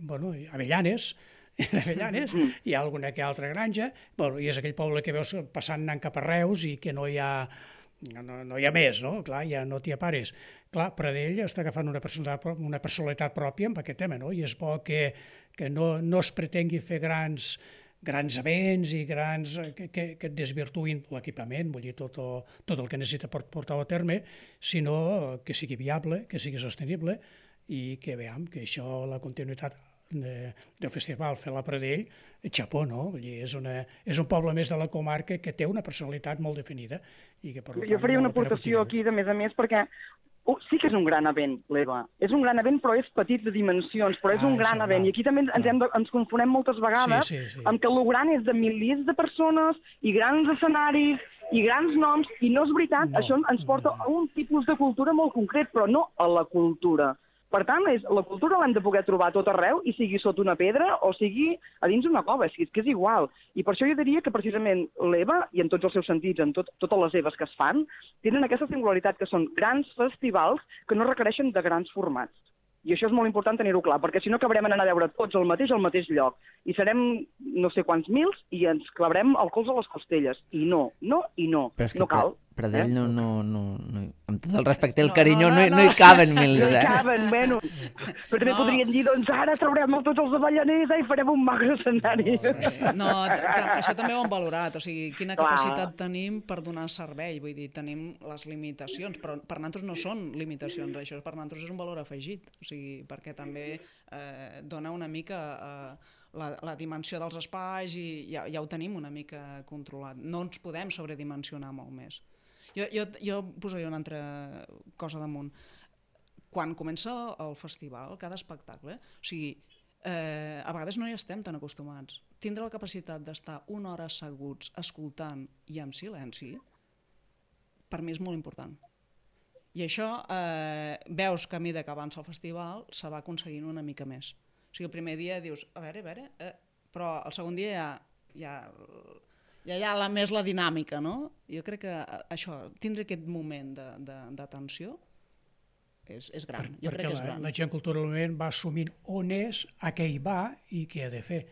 Avellanes, hi ha alguna que altra granja, i és aquell poble que veus passant anant cap a Reus i que no hi ha més, no? Clar, ja no t'hi apares. Clar, Pradell està agafant una personalitat pròpia amb aquest tema, no? I és bo que no es pretengui fer grans events i que et desvirtuïn l'equipament, vull dir, tot el que necessita portar a terme, sinó que sigui viable, que sigui sostenible i que veiem que això, la continuïtat del festival Fer-la Pradell, xapó, no? Vull dir, és un poble més de la comarca que té una personalitat molt definida. Jo faria una aportació aquí, de més, perquè sí que és un gran event, l'EVA. És un gran event, però és petit de dimensions, però és un gran event. I aquí també ens confonem moltes vegades amb que el gran és de milers de persones i grans escenaris i grans noms, i no és veritat. Això ens porta a un tipus de cultura molt concret, però no a la cultura. Per tant, la cultura l'hem de poder trobar tot arreu, i sigui sota una pedra o sigui a dins una cova, és que és igual. I per això jo diria que precisament l'EVA, i en tots els seus sentits, en totes les EVAs que es fan, tenen aquesta singularitat que són grans festivals que no requereixen de grans formats. I això és molt important tenir-ho clar, perquè si no acabarem anant a veure tots al mateix lloc. I serem no sé quants mils i ens clavarem el cols a les costelles. I no. Però és que no cal. Pradell no, amb tot el respecte i el carinyo, no hi caben mils, No hi caben, bueno. Però també podrien dir, doncs ara traurem tots els avellaners i farem un magre escenari. No, això també ho hem valorat, o sigui, quina capacitat tenim per donar servei, vull dir, tenim les limitacions, però per nosaltres no són limitacions, això per nosaltres és un valor afegit, o sigui, perquè també dona una mica la dimensió dels espais i ja ho tenim una mica controlat, no ens podem sobredimensionar molt més. Jo posaria una altra cosa damunt. Quan comença el festival, cada espectacle, o sigui, a vegades no hi estem tan acostumats. Tindre la capacitat d'estar una hora asseguts, escoltant i en silenci, per mi és molt important. I això veus que a mesura que avança el festival se va aconseguint una mica més. O sigui, el primer dia dius, a veure, però el segon dia ja hi ha més la dinàmica, no? Jo crec que això, tindre aquest moment d'atenció és gran. Jo crec que és gran. La gent culturalment va assumint on és, a què hi va i què ha de fer.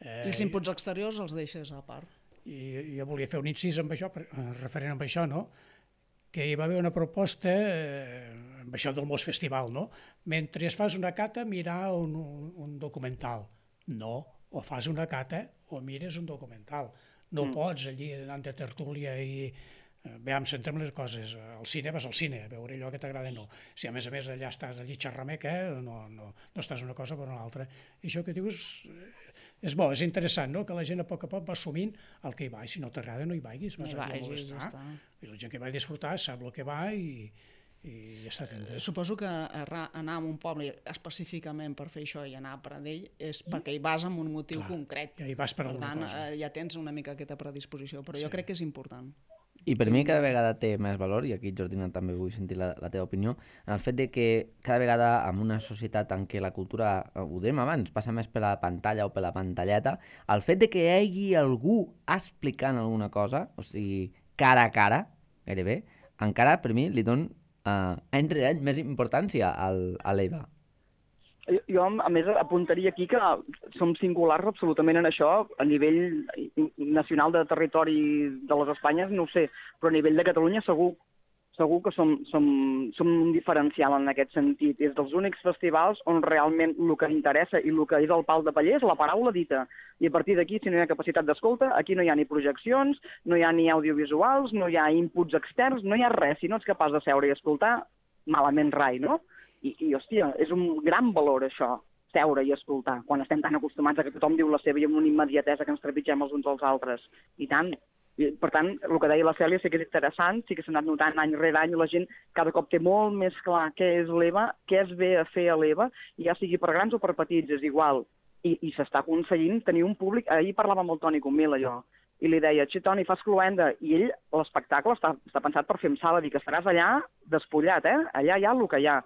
I els inputs exteriors els deixes a part. I jo volia fer un incís amb això, referent amb això, no? Que hi va haver una proposta amb això del Mos Festival, no? Mentre fas una cata, mirar un documental. No, o fas una cata o mires un documental. No pots allí anant de tertúlia i... Veiem, centrem les coses. Al cine vas al cine, a veure allò que t'agrada no. Si a més allà estàs allí xerrameca, no estàs una cosa per una altra. I això que dius és bo, és interessant, no? Que la gent a poc va assumint el que hi va. I si no t'agrada no hi vagis, vas allà a molestar. I la gent que va disfrutar sap el que va i ja està atenta. Suposo que anar a un poble específicament per fer això i anar a Pradell és perquè hi vas amb un motiu concret. Ja hi vas per alguna cosa. Per tant, ja tens una mica aquesta predisposició, però jo crec que és important. I per mi cada vegada té més valor, i aquí, Jordina, també vull sentir la teva opinió, en el fet de que cada vegada en una societat en què la cultura, ho dèiem abans, passa més per la pantalla o per la pantalleta, el fet de que hi hagi algú explicant alguna cosa, o sigui, cara a cara, gairebé, encara per mi li dono any rere any més importància a l'EVA. Jo, a més, apuntaria aquí que som singulars absolutament en això, a nivell nacional de territori de les Espanyes, no ho sé, però a nivell de Catalunya segur que som un diferencial en aquest sentit. És dels únics festivals on realment el que interessa i el que és el pal de paller és la paraula dita. I a partir d'aquí, si no hi ha capacitat d'escolta, aquí no hi ha ni projeccions, no hi ha ni audiovisuals, no hi ha inputs externs, no hi ha res. Si no ets capaç de seure i escoltar, malament rai, no? I hòstia, és un gran valor això, seure i escoltar, quan estem tan acostumats a que tothom diu la seva i amb una immediatesa que ens trepitgem els uns als altres. I tant. Per tant, el que deia la Cèlia sí que és interessant, sí que s'ha anat notant any rere any, la gent cada cop té molt més clar què és l'EVA, què es ve a fer a l'EVA, i ja sigui per grans o per petits, és igual. I s'està aconseguint tenir un públic... Ahir parlava amb el Toni Comil, allò, i li deia, Toni, fas cluenda, i ell, l'espectacle està pensat per fer amb sala, dir que estaràs allà despullat, allà hi ha el que hi ha.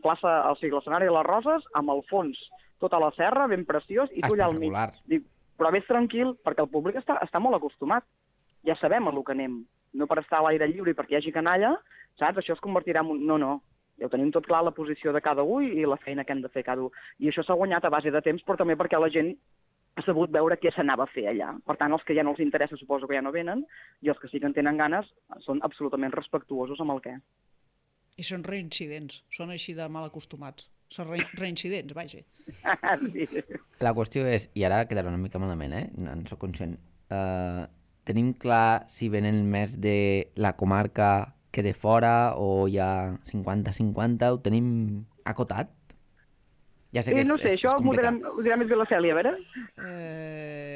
Plaça, o sigui, l'escenari de les Roses, amb el fons, tota la serra, ben preciós, i tu allà al mig. Dic, però vés tranquil, perquè el públic està molt acostumat. Ja sabem a lo que anem. No per estar a l'aire lliure i perquè hi hagi canalla, saps? Això es convertirà en un... No. Ja ho tenim tot clar, la posició de cada un i la feina que hem de fer cada un. I això s'ha guanyat a base de temps, però també perquè la gent ha sabut veure què s'anava a fer allà. Per tant, els que ja no els interessa suposo que ja no venen, i els que sí que en tenen ganes són absolutament respectuosos amb el què. I són reincidents, són així de mal acostumats. Són reincidents, vaja. Sí. La qüestió és, i ara quedarà una mica malament, en soc conscient, tenim clar si venen més de la comarca que de fora o hi ha 50-50, ho tenim acotat? Ja sé que no sé, això ho dirà més bé la Cèlia, a veure?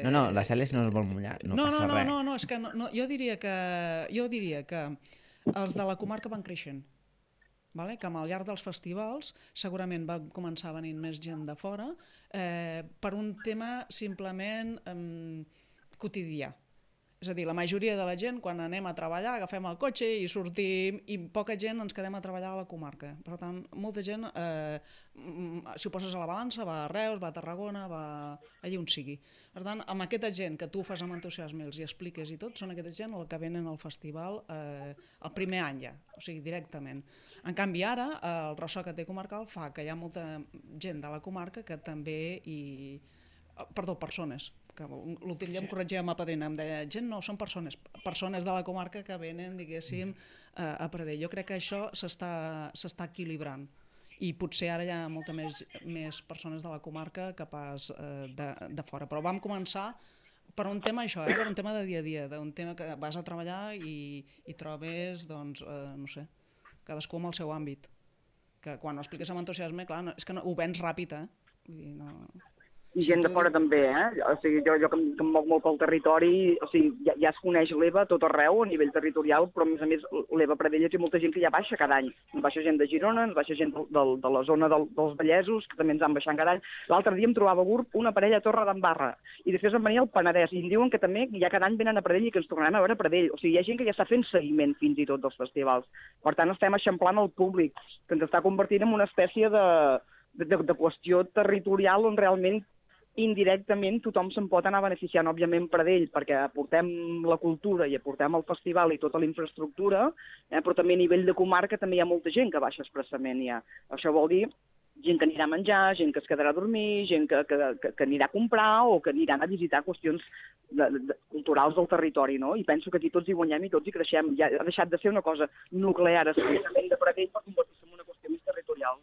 No, la Cèlia no es vol mullar, no passa res. No, és que jo diria que els de la comarca van creixent, vale? Que al llarg dels festivals segurament va començar venint més gent de fora per un tema simplement quotidià. És a dir, la majoria de la gent, quan anem a treballar, agafem el cotxe i sortim, i poca gent ens quedem a treballar a la comarca. Per tant, molta gent, si ho poses a la balança, va a Reus, va a Tarragona, va allà on sigui. Per tant, amb aquesta gent que tu fas amb entusiasme, els hi expliques i tot, són aquesta gent el que venen al festival el primer any ja, o sigui, directament. En canvi, ara, el ressò que té comarcal fa que hi ha molta gent de la comarca que també persones, que l'últim dia em corregia amb la padrina, em deia, gent no, són persones de la comarca que venen, diguéssim, a Pradell. Jo crec que això s'està equilibrant i potser ara hi ha molta més persones de la comarca que pas de fora. Però vam començar per un tema això, per un tema de dia a dia, d'un tema que vas a treballar i trobes, doncs, no sé, cadascú amb el seu àmbit. Que quan ho expliques amb entusiasme, clar, és que ho vens ràpid, Vull dir, no... I gent de fora també, O sigui, jo que em moc molt pel territori, o sigui, ja es coneix l'EVA tot arreu a nivell territorial, però a més l'EVA Pradell té molta gent que ja baixa cada any. Ens baixa gent de Girona, ens baixa gent de la zona dels Vallesos, que també ens han baixat cada any. L'altre dia em trobava a GURB una parella a Torre d'Embarra, i després em venia al Penedès, i em diuen que també ja cada any venen a Pradell i que ens tornarem a veure a Pradell. O sigui, hi ha gent que ja està fent seguiment fins i tot dels festivals. Per tant, estem eixamplant el públic, que ens està convertint en una espècie de qüestió territorial on realment indirectament tothom se'n pot anar beneficiant, òbviament, Pradell, perquè aportem la cultura i aportem el festival i tota la infraestructura, però també a nivell de comarca també hi ha molta gent que baixa expressament ja. Això vol dir gent que anirà a menjar, gent que es quedarà a dormir, gent que anirà a comprar o que aniran a visitar qüestions culturals del territori, no? I penso que aquí tots hi guanyem i tots hi creixem. Ja ha deixat de ser una cosa nuclear, especialment de Pradell, per convertir-se en una qüestió més territorial.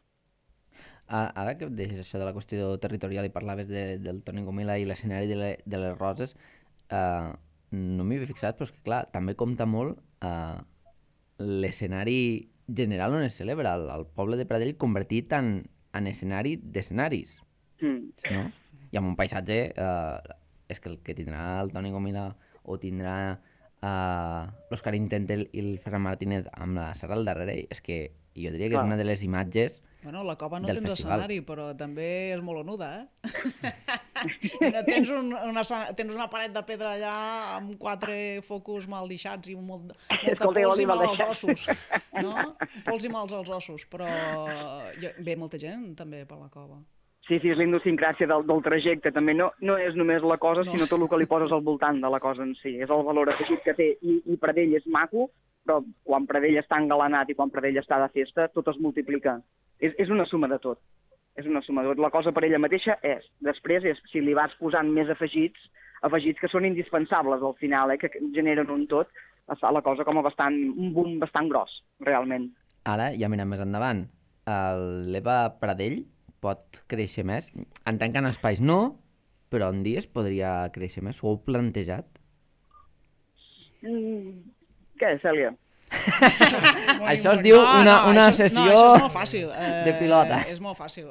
Ara que deixes això de la qüestió territorial i parlaves del Toni Comila i l'escenari de les Roses, no m'hi havia fixat, però és que clar, també compta molt l'escenari general on es celebra, el poble de Pradell convertit en escenari d'escenaris, no? I amb un paisatge, és que el que tindrà el Toni Comila o tindrà l'Òscar Intentel i el Ferran Martínez amb la serra al darrere, és que jo diria que és una de les imatges. Bueno, la cova no tens escenari, però també és molt onuda, Tens una paret de pedra allà amb 4 focus mal deixats i molta pols i mal als ossos, no? Pols i mals als ossos, però ve molta gent també per la cova. Sí, és l'idiosincràsia del trajecte, també no és només la cosa, sinó tot el que li poses al voltant de la cosa en si, és el valor afegit que té, i Pradell és maco, però quan Pradell està engalanat i quan Pradell està de festa, tot es multiplica. És una suma de tot. és una suma. La cosa per ella mateixa és. Després, si li vas posant més afegits que són indispensables al final, que generen un tot, es fa la cosa com un boom bastant gros, realment. Ara, ja mirem més endavant, l'Eva Pradell pot créixer més? Entenc que en espais no, però en dies podria créixer més? Ho heu plantejat? Què, Cèlia? Això es diu una sessió això és molt fàcil. de pilota. És molt fàcil.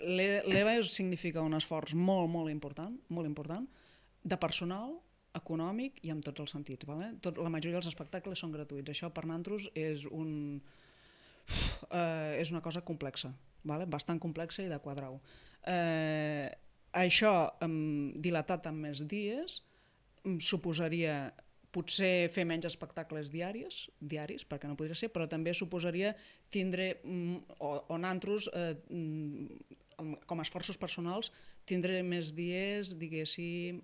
L'EVA significa un esforç molt important, de personal, econòmic i en tots els sentits. Vale? La majoria dels espectacles són gratuïts. Això per nosaltres és una cosa complexa, vale? Bastant complexa i de quadrar-ho. Això, dilatat en més dies, suposaria potser fer menys espectacles diaris, perquè no podria ser, però també suposaria tindre, o nosaltres, com a esforços personals, tindre més dies, diguéssim,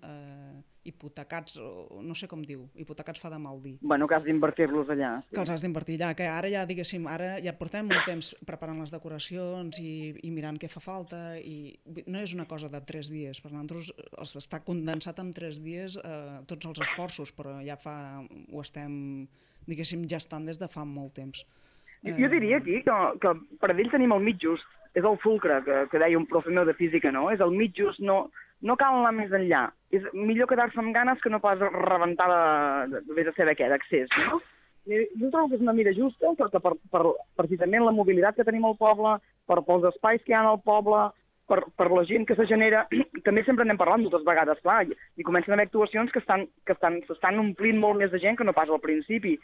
hipotecats, no sé com diu, hipotecats fa de mal dir. Bueno, que has d'invertir-los allà. Que els has d'invertir allà, que ara ja, diguéssim, ara ja portem molt temps preparant les decoracions i mirant què fa falta, i no és una cosa de 3 dies, per nosaltres està condensat en 3 dies tots els esforços, però ja ho estem, diguéssim, gestant des de fa molt temps. Jo diria aquí que per ells tenim el mig just, és el fulcre que deia un profe meu de física, no? És el mig just, no cal anar més enllà. És millor quedar-se amb ganes que no pas rebentar vés a saber què, d'accés, no? Jo trobo que és una mida justa, perquè per precisament la mobilitat que tenim al poble, pels espais que hi ha al poble, per la gent que se genera, també sempre n'hem parlat moltes vegades, clar, i comencen a haver actuacions que s'estan omplint molt més de gent que no pas al principi.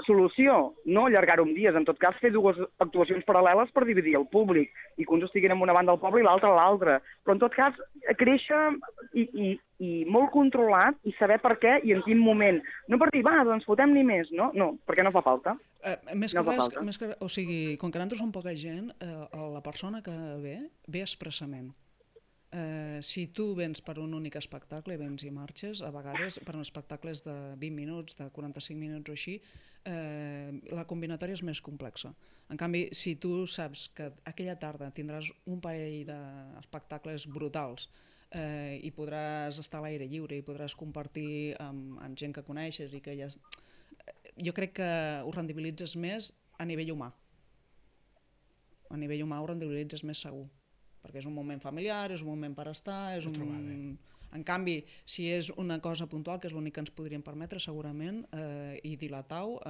Solució, no allargar-ho en dies, en tot cas fer 2 actuacions paral·leles per dividir el públic, i que uns estiguin en una banda del poble i l'altra a l'altra, però en tot cas créixer i molt controlat i saber per què i en quin moment. No per dir, doncs fotem-n'hi més, no, perquè no fa falta. Més que res, o sigui, com que nosaltres som poca gent, la persona que ve expressament. Si tu vens per un únic espectacle, vens i marxes, a vegades per espectacles de 20 minuts, de 45 minuts o així, la combinatòria és més complexa. En canvi, si tu saps que aquella tarda tindràs un parell d'espectacles brutals i podràs estar a l'aire lliure i podràs compartir amb gent que coneixes i que ja... Jo crec que ho rendibilitzes més a nivell humà. A nivell humà ho rendibilitzes més segur, perquè és un moment familiar, és un moment per estar, és un... En canvi, si és una cosa puntual, que és l'únic que ens podríem permetre segurament, i dilatar-ho,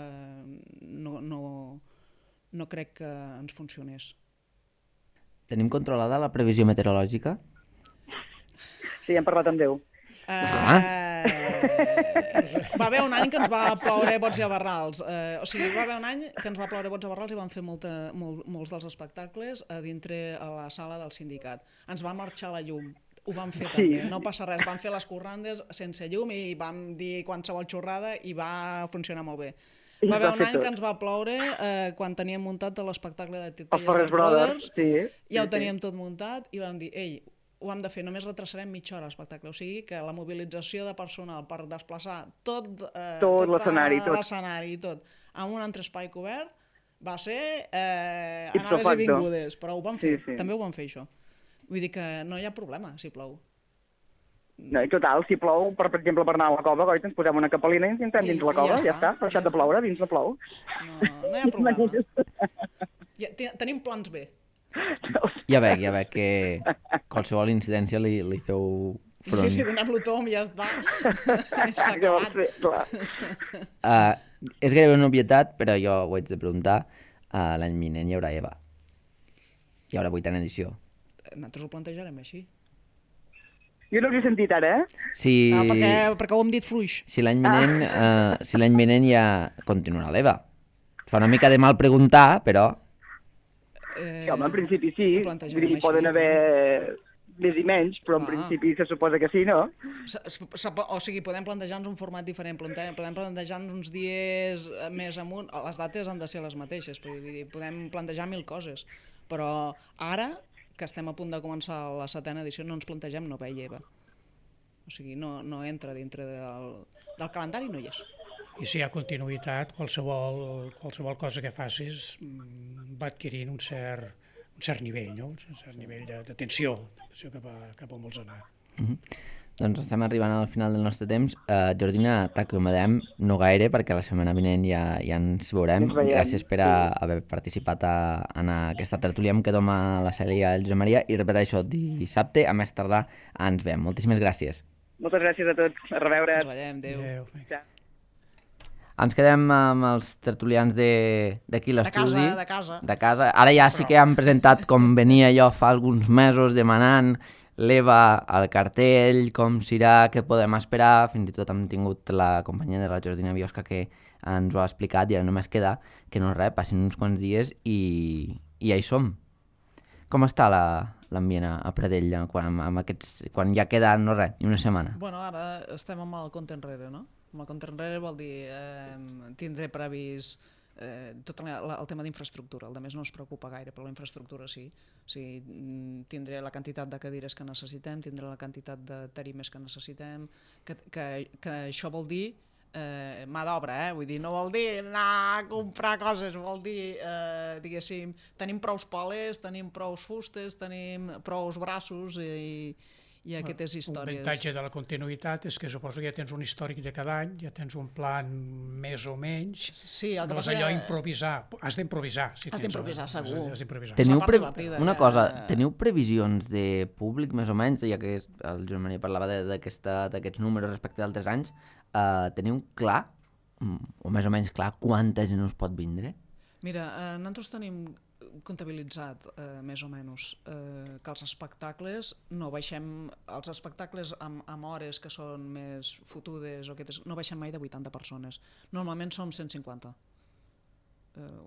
no crec que ens funcionés. Tenim controlada la previsió meteorològica? Sí, hem parlat amb Déu. Va haver un any que ens va ploure bots i barrals. O sigui, va haver un any que ens va ploure bots i barrals i vam fer molts dels espectacles a dintre a la sala del sindicat. Ens va marxar la llum. Ho vam fer també, no passa res. Vam fer les corrandes sense llum i vam dir qualsevol xorrada i va funcionar molt bé. Va haver un any que ens va ploure quan teníem muntat l'espectacle de Titelles Brothers, ja ho teníem tot muntat i vam dir, ho hem de fer, només retrasarem mitja hora l'espectacle, o sigui que la mobilització de personal per desplaçar tot l'escenari i tot amb un entrespai cobert va ser anades i vingudes, però ho vam fer, també ho vam fer això. Vull dir que no hi ha problema si plou. No, i total, si plou, per exemple, per anar a la cova, goita, ens posem una capelina i ens entrem dins la cova, ja està, ha deixat de ploure, dins no plou. No hi ha problema. Tenim plans B. Ja veig que qualsevol incidència li feu front. Sí, donem-lo tom i ja està. S'ha acabat. És gairebé una obvietat, però jo ho haig de preguntar. L'any vinent hi haurà Eva. Hi haurà 8a edició. Nosaltres ho plantejarem així. Jo no ho he sentit ara, Sí, perquè ho hem dit fluix. Si l'any vinent ja continuarà l'Eva. Fa una mica de mal preguntar, però... Home, en principi sí, poden haver més i menys, però en principi se suposa que sí, no? O sigui, podem plantejar-nos un format diferent, podem plantejar-nos uns dies més amunt, les dates han de ser les mateixes, podem plantejar 1000 coses, però ara, que estem a punt de començar la 7a edició, no ens plantegem no veia Eva. O sigui, no entra dintre del calendari, no hi és. I si hi ha continuïtat, qualsevol cosa que facis va adquirint un cert cert nivell, no? Un cert nivell de tensió cap a on vols anar. Doncs estem arribant al final del nostre temps. Jordina, t'acomiadem no gaire perquè la setmana vinent ja ens veurem. Gràcies per haver participat en aquesta tertúlia. Em quedo amb la Cèlia i el Josep Maria i repeteixo, dissabte a més tardar ens veiem. Moltíssimes gràcies. Moltes gràcies a tots. A reveure. Ens veiem, adéu. Ens quedem amb els tertulians d'aquí l'estudi. De casa. Ara ja sí que han presentat com venia jo fa alguns mesos demanant l'Eva al cartell, com serà, què podem esperar. Fins i tot hem tingut la companyia de la Jordina Biosca que ens ho ha explicat i ara només queda que no res, passin uns quants dies i ja hi som. Com està l'ambient a Pradell quan ja queda no res, ni una setmana? Bueno, ara estem amb el compte enrere, no? Amb el compte enrere vol dir tindré previst tot el tema d'infraestructura. El de més no ens preocupa gaire, però la infraestructura sí. O sigui, tindré la quantitat de cadires que necessitem, tindré la quantitat de tarimes que necessitem, que això vol dir mà d'obra, vull dir, no vol dir anar a comprar coses, vol dir, diguéssim, tenim prous pales, tenim prous fustes, tenim prous braços i aquestes històries. L'avantatge de la continuïtat és que suposo que ja tens un històric de cada any, ja tens un plan més o menys, sí, no és allò improvisar, has d'improvisar. Has d'improvisar, segur. Una cosa, teniu previsions de públic més o menys, ja que el Joan Maria parlava d'aquests números respecte d'altres anys, teniu clar, o més o menys clar, quanta gent us pot vindre? Mira, nosaltres tenim comptabilitzat més o menys que els espectacles no baixem, els espectacles amb hores que són més fotudes o no baixem mai de 80 persones, normalment som 150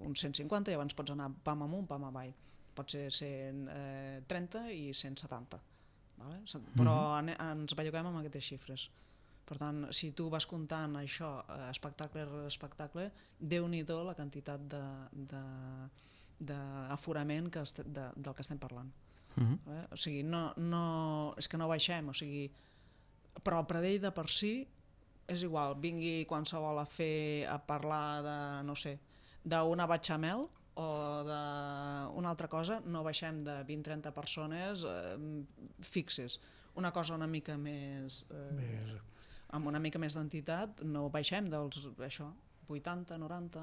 uns 150 i abans pots anar pam amunt, pam avall, pot ser 130 i 170 vale? Però ens belluguem amb aquestes xifres. Per tant, si tu vas comptant això espectacle rere espectacle, Déu-n'hi-do la quantitat d'aforament del que estem parlant. O sigui, és que no baixem, o sigui, però el Pradell de per si és igual, vingui qualsevol a parlar de, no sé, d'una batxamel o d'una altra cosa, no baixem de 20-30 persones fixes. Una cosa una mica més amb una mica més d'entitat, no baixem dels 80, 90,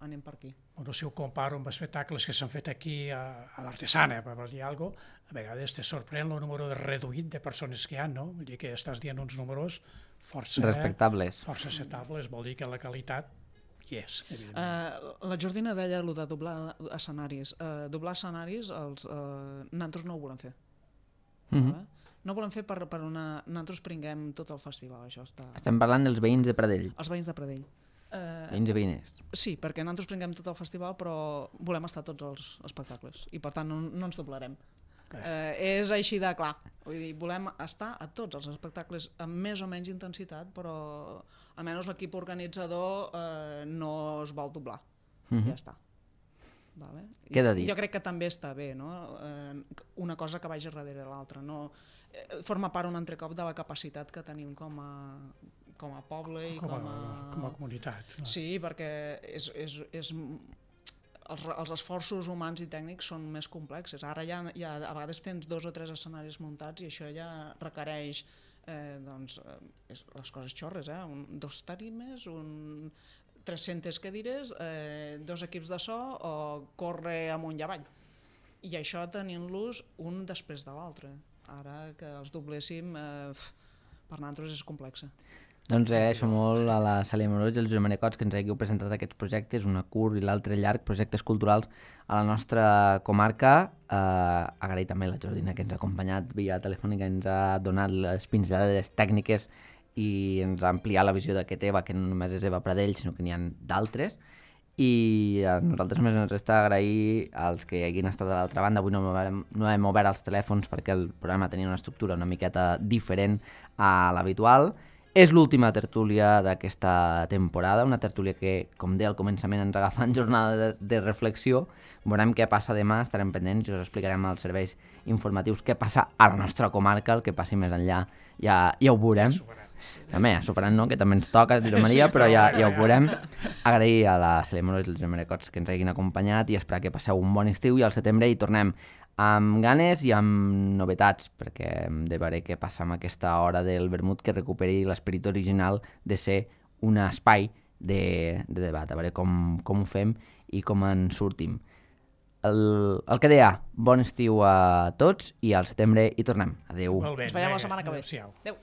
anem per aquí. Bueno, si ho comparo amb espectacles que s'han fet aquí a l'Artesana, per dir alguna cosa, a vegades te sorprèn el número reduït de persones que hi ha, no? Vull dir que estàs dient uns números força respectables. Força acceptables, vol dir que la qualitat hi és, evidentment. La Jordina deia allò de doblar escenaris. Doblar escenaris, nosaltres no ho volem fer. No volem fer per nosaltres prenguem tot el festival. Això està... Estem parlant dels veïns de Pradell. Els veïns de Pradell. Veïns i veïnes. Sí, perquè nosaltres prenguem tot el festival, però volem estar a tots els espectacles i per tant no ens doblarem. És així de clar. Vull dir, volem estar a tots els espectacles amb més o menys intensitat, però almenys l'equip organitzador no es vol doblar. Ja està. Vale? Queda dit. Jo crec que també està bé, no? Una cosa que vagi darrere l'altra. No? Forma part un altre cop de la capacitat que tenim com a poble i com a comunitat. No? Sí, perquè els esforços humans i tècnics són més complexes. Ara ja a vegades tens 2 o 3 escenaris muntats i això ja requereix les coses xorres, 2 tarimes, 300 cadires, 2 equips de so o córrer amunt i avall. I això tenint-los un després de l'altre. Ara que els dobléssim, per nosaltres és complexa. Doncs agraeixo molt a la Cèlia Amorós i al Josep Maria Cots que ens hàgiu presentat aquests projectes, una curt i l'altre llarg, projectes culturals a la nostra comarca. Agrair també a la Jordina que ens ha acompanyat via telefònica, ens ha donat les pinzellades tècniques i ens ha ampliat la visió d'aquest Eva, que no només és Eva Pradell, sinó que n'hi ha d'altres. I a nosaltres més ens resta agrair als que hagin estat a l'altra banda. Avui no hem obert els telèfons perquè el programa tenia una estructura una miqueta diferent a l'habitual. És l'última tertúlia d'aquesta temporada, una tertúlia que, com deia al començament, ens agafa en jornada de reflexió. Veurem què passa demà, estarem pendents i us explicarem als serveis informatius què passa a la nostra comarca, el que passi més enllà ja ho veurem. També, sopranant no, que també ens toca, Josep Maria, però ja ho veurem. Agrair a la Cèlia Morós i el Josep Maria Cots que ens hagin acompanyat i esperar que passeu un bon estiu i al setembre hi tornem amb ganes i amb novetats, perquè hem de veure què passa amb aquesta hora del vermut que recuperi l'esperit original de ser un espai de debat, a veure com ho fem i com en sortim. El que deia, bon estiu a tots i al setembre hi tornem. Adéu. Molt bé. Ens veiem la setmana que ve. Adéu-siau. Adéu.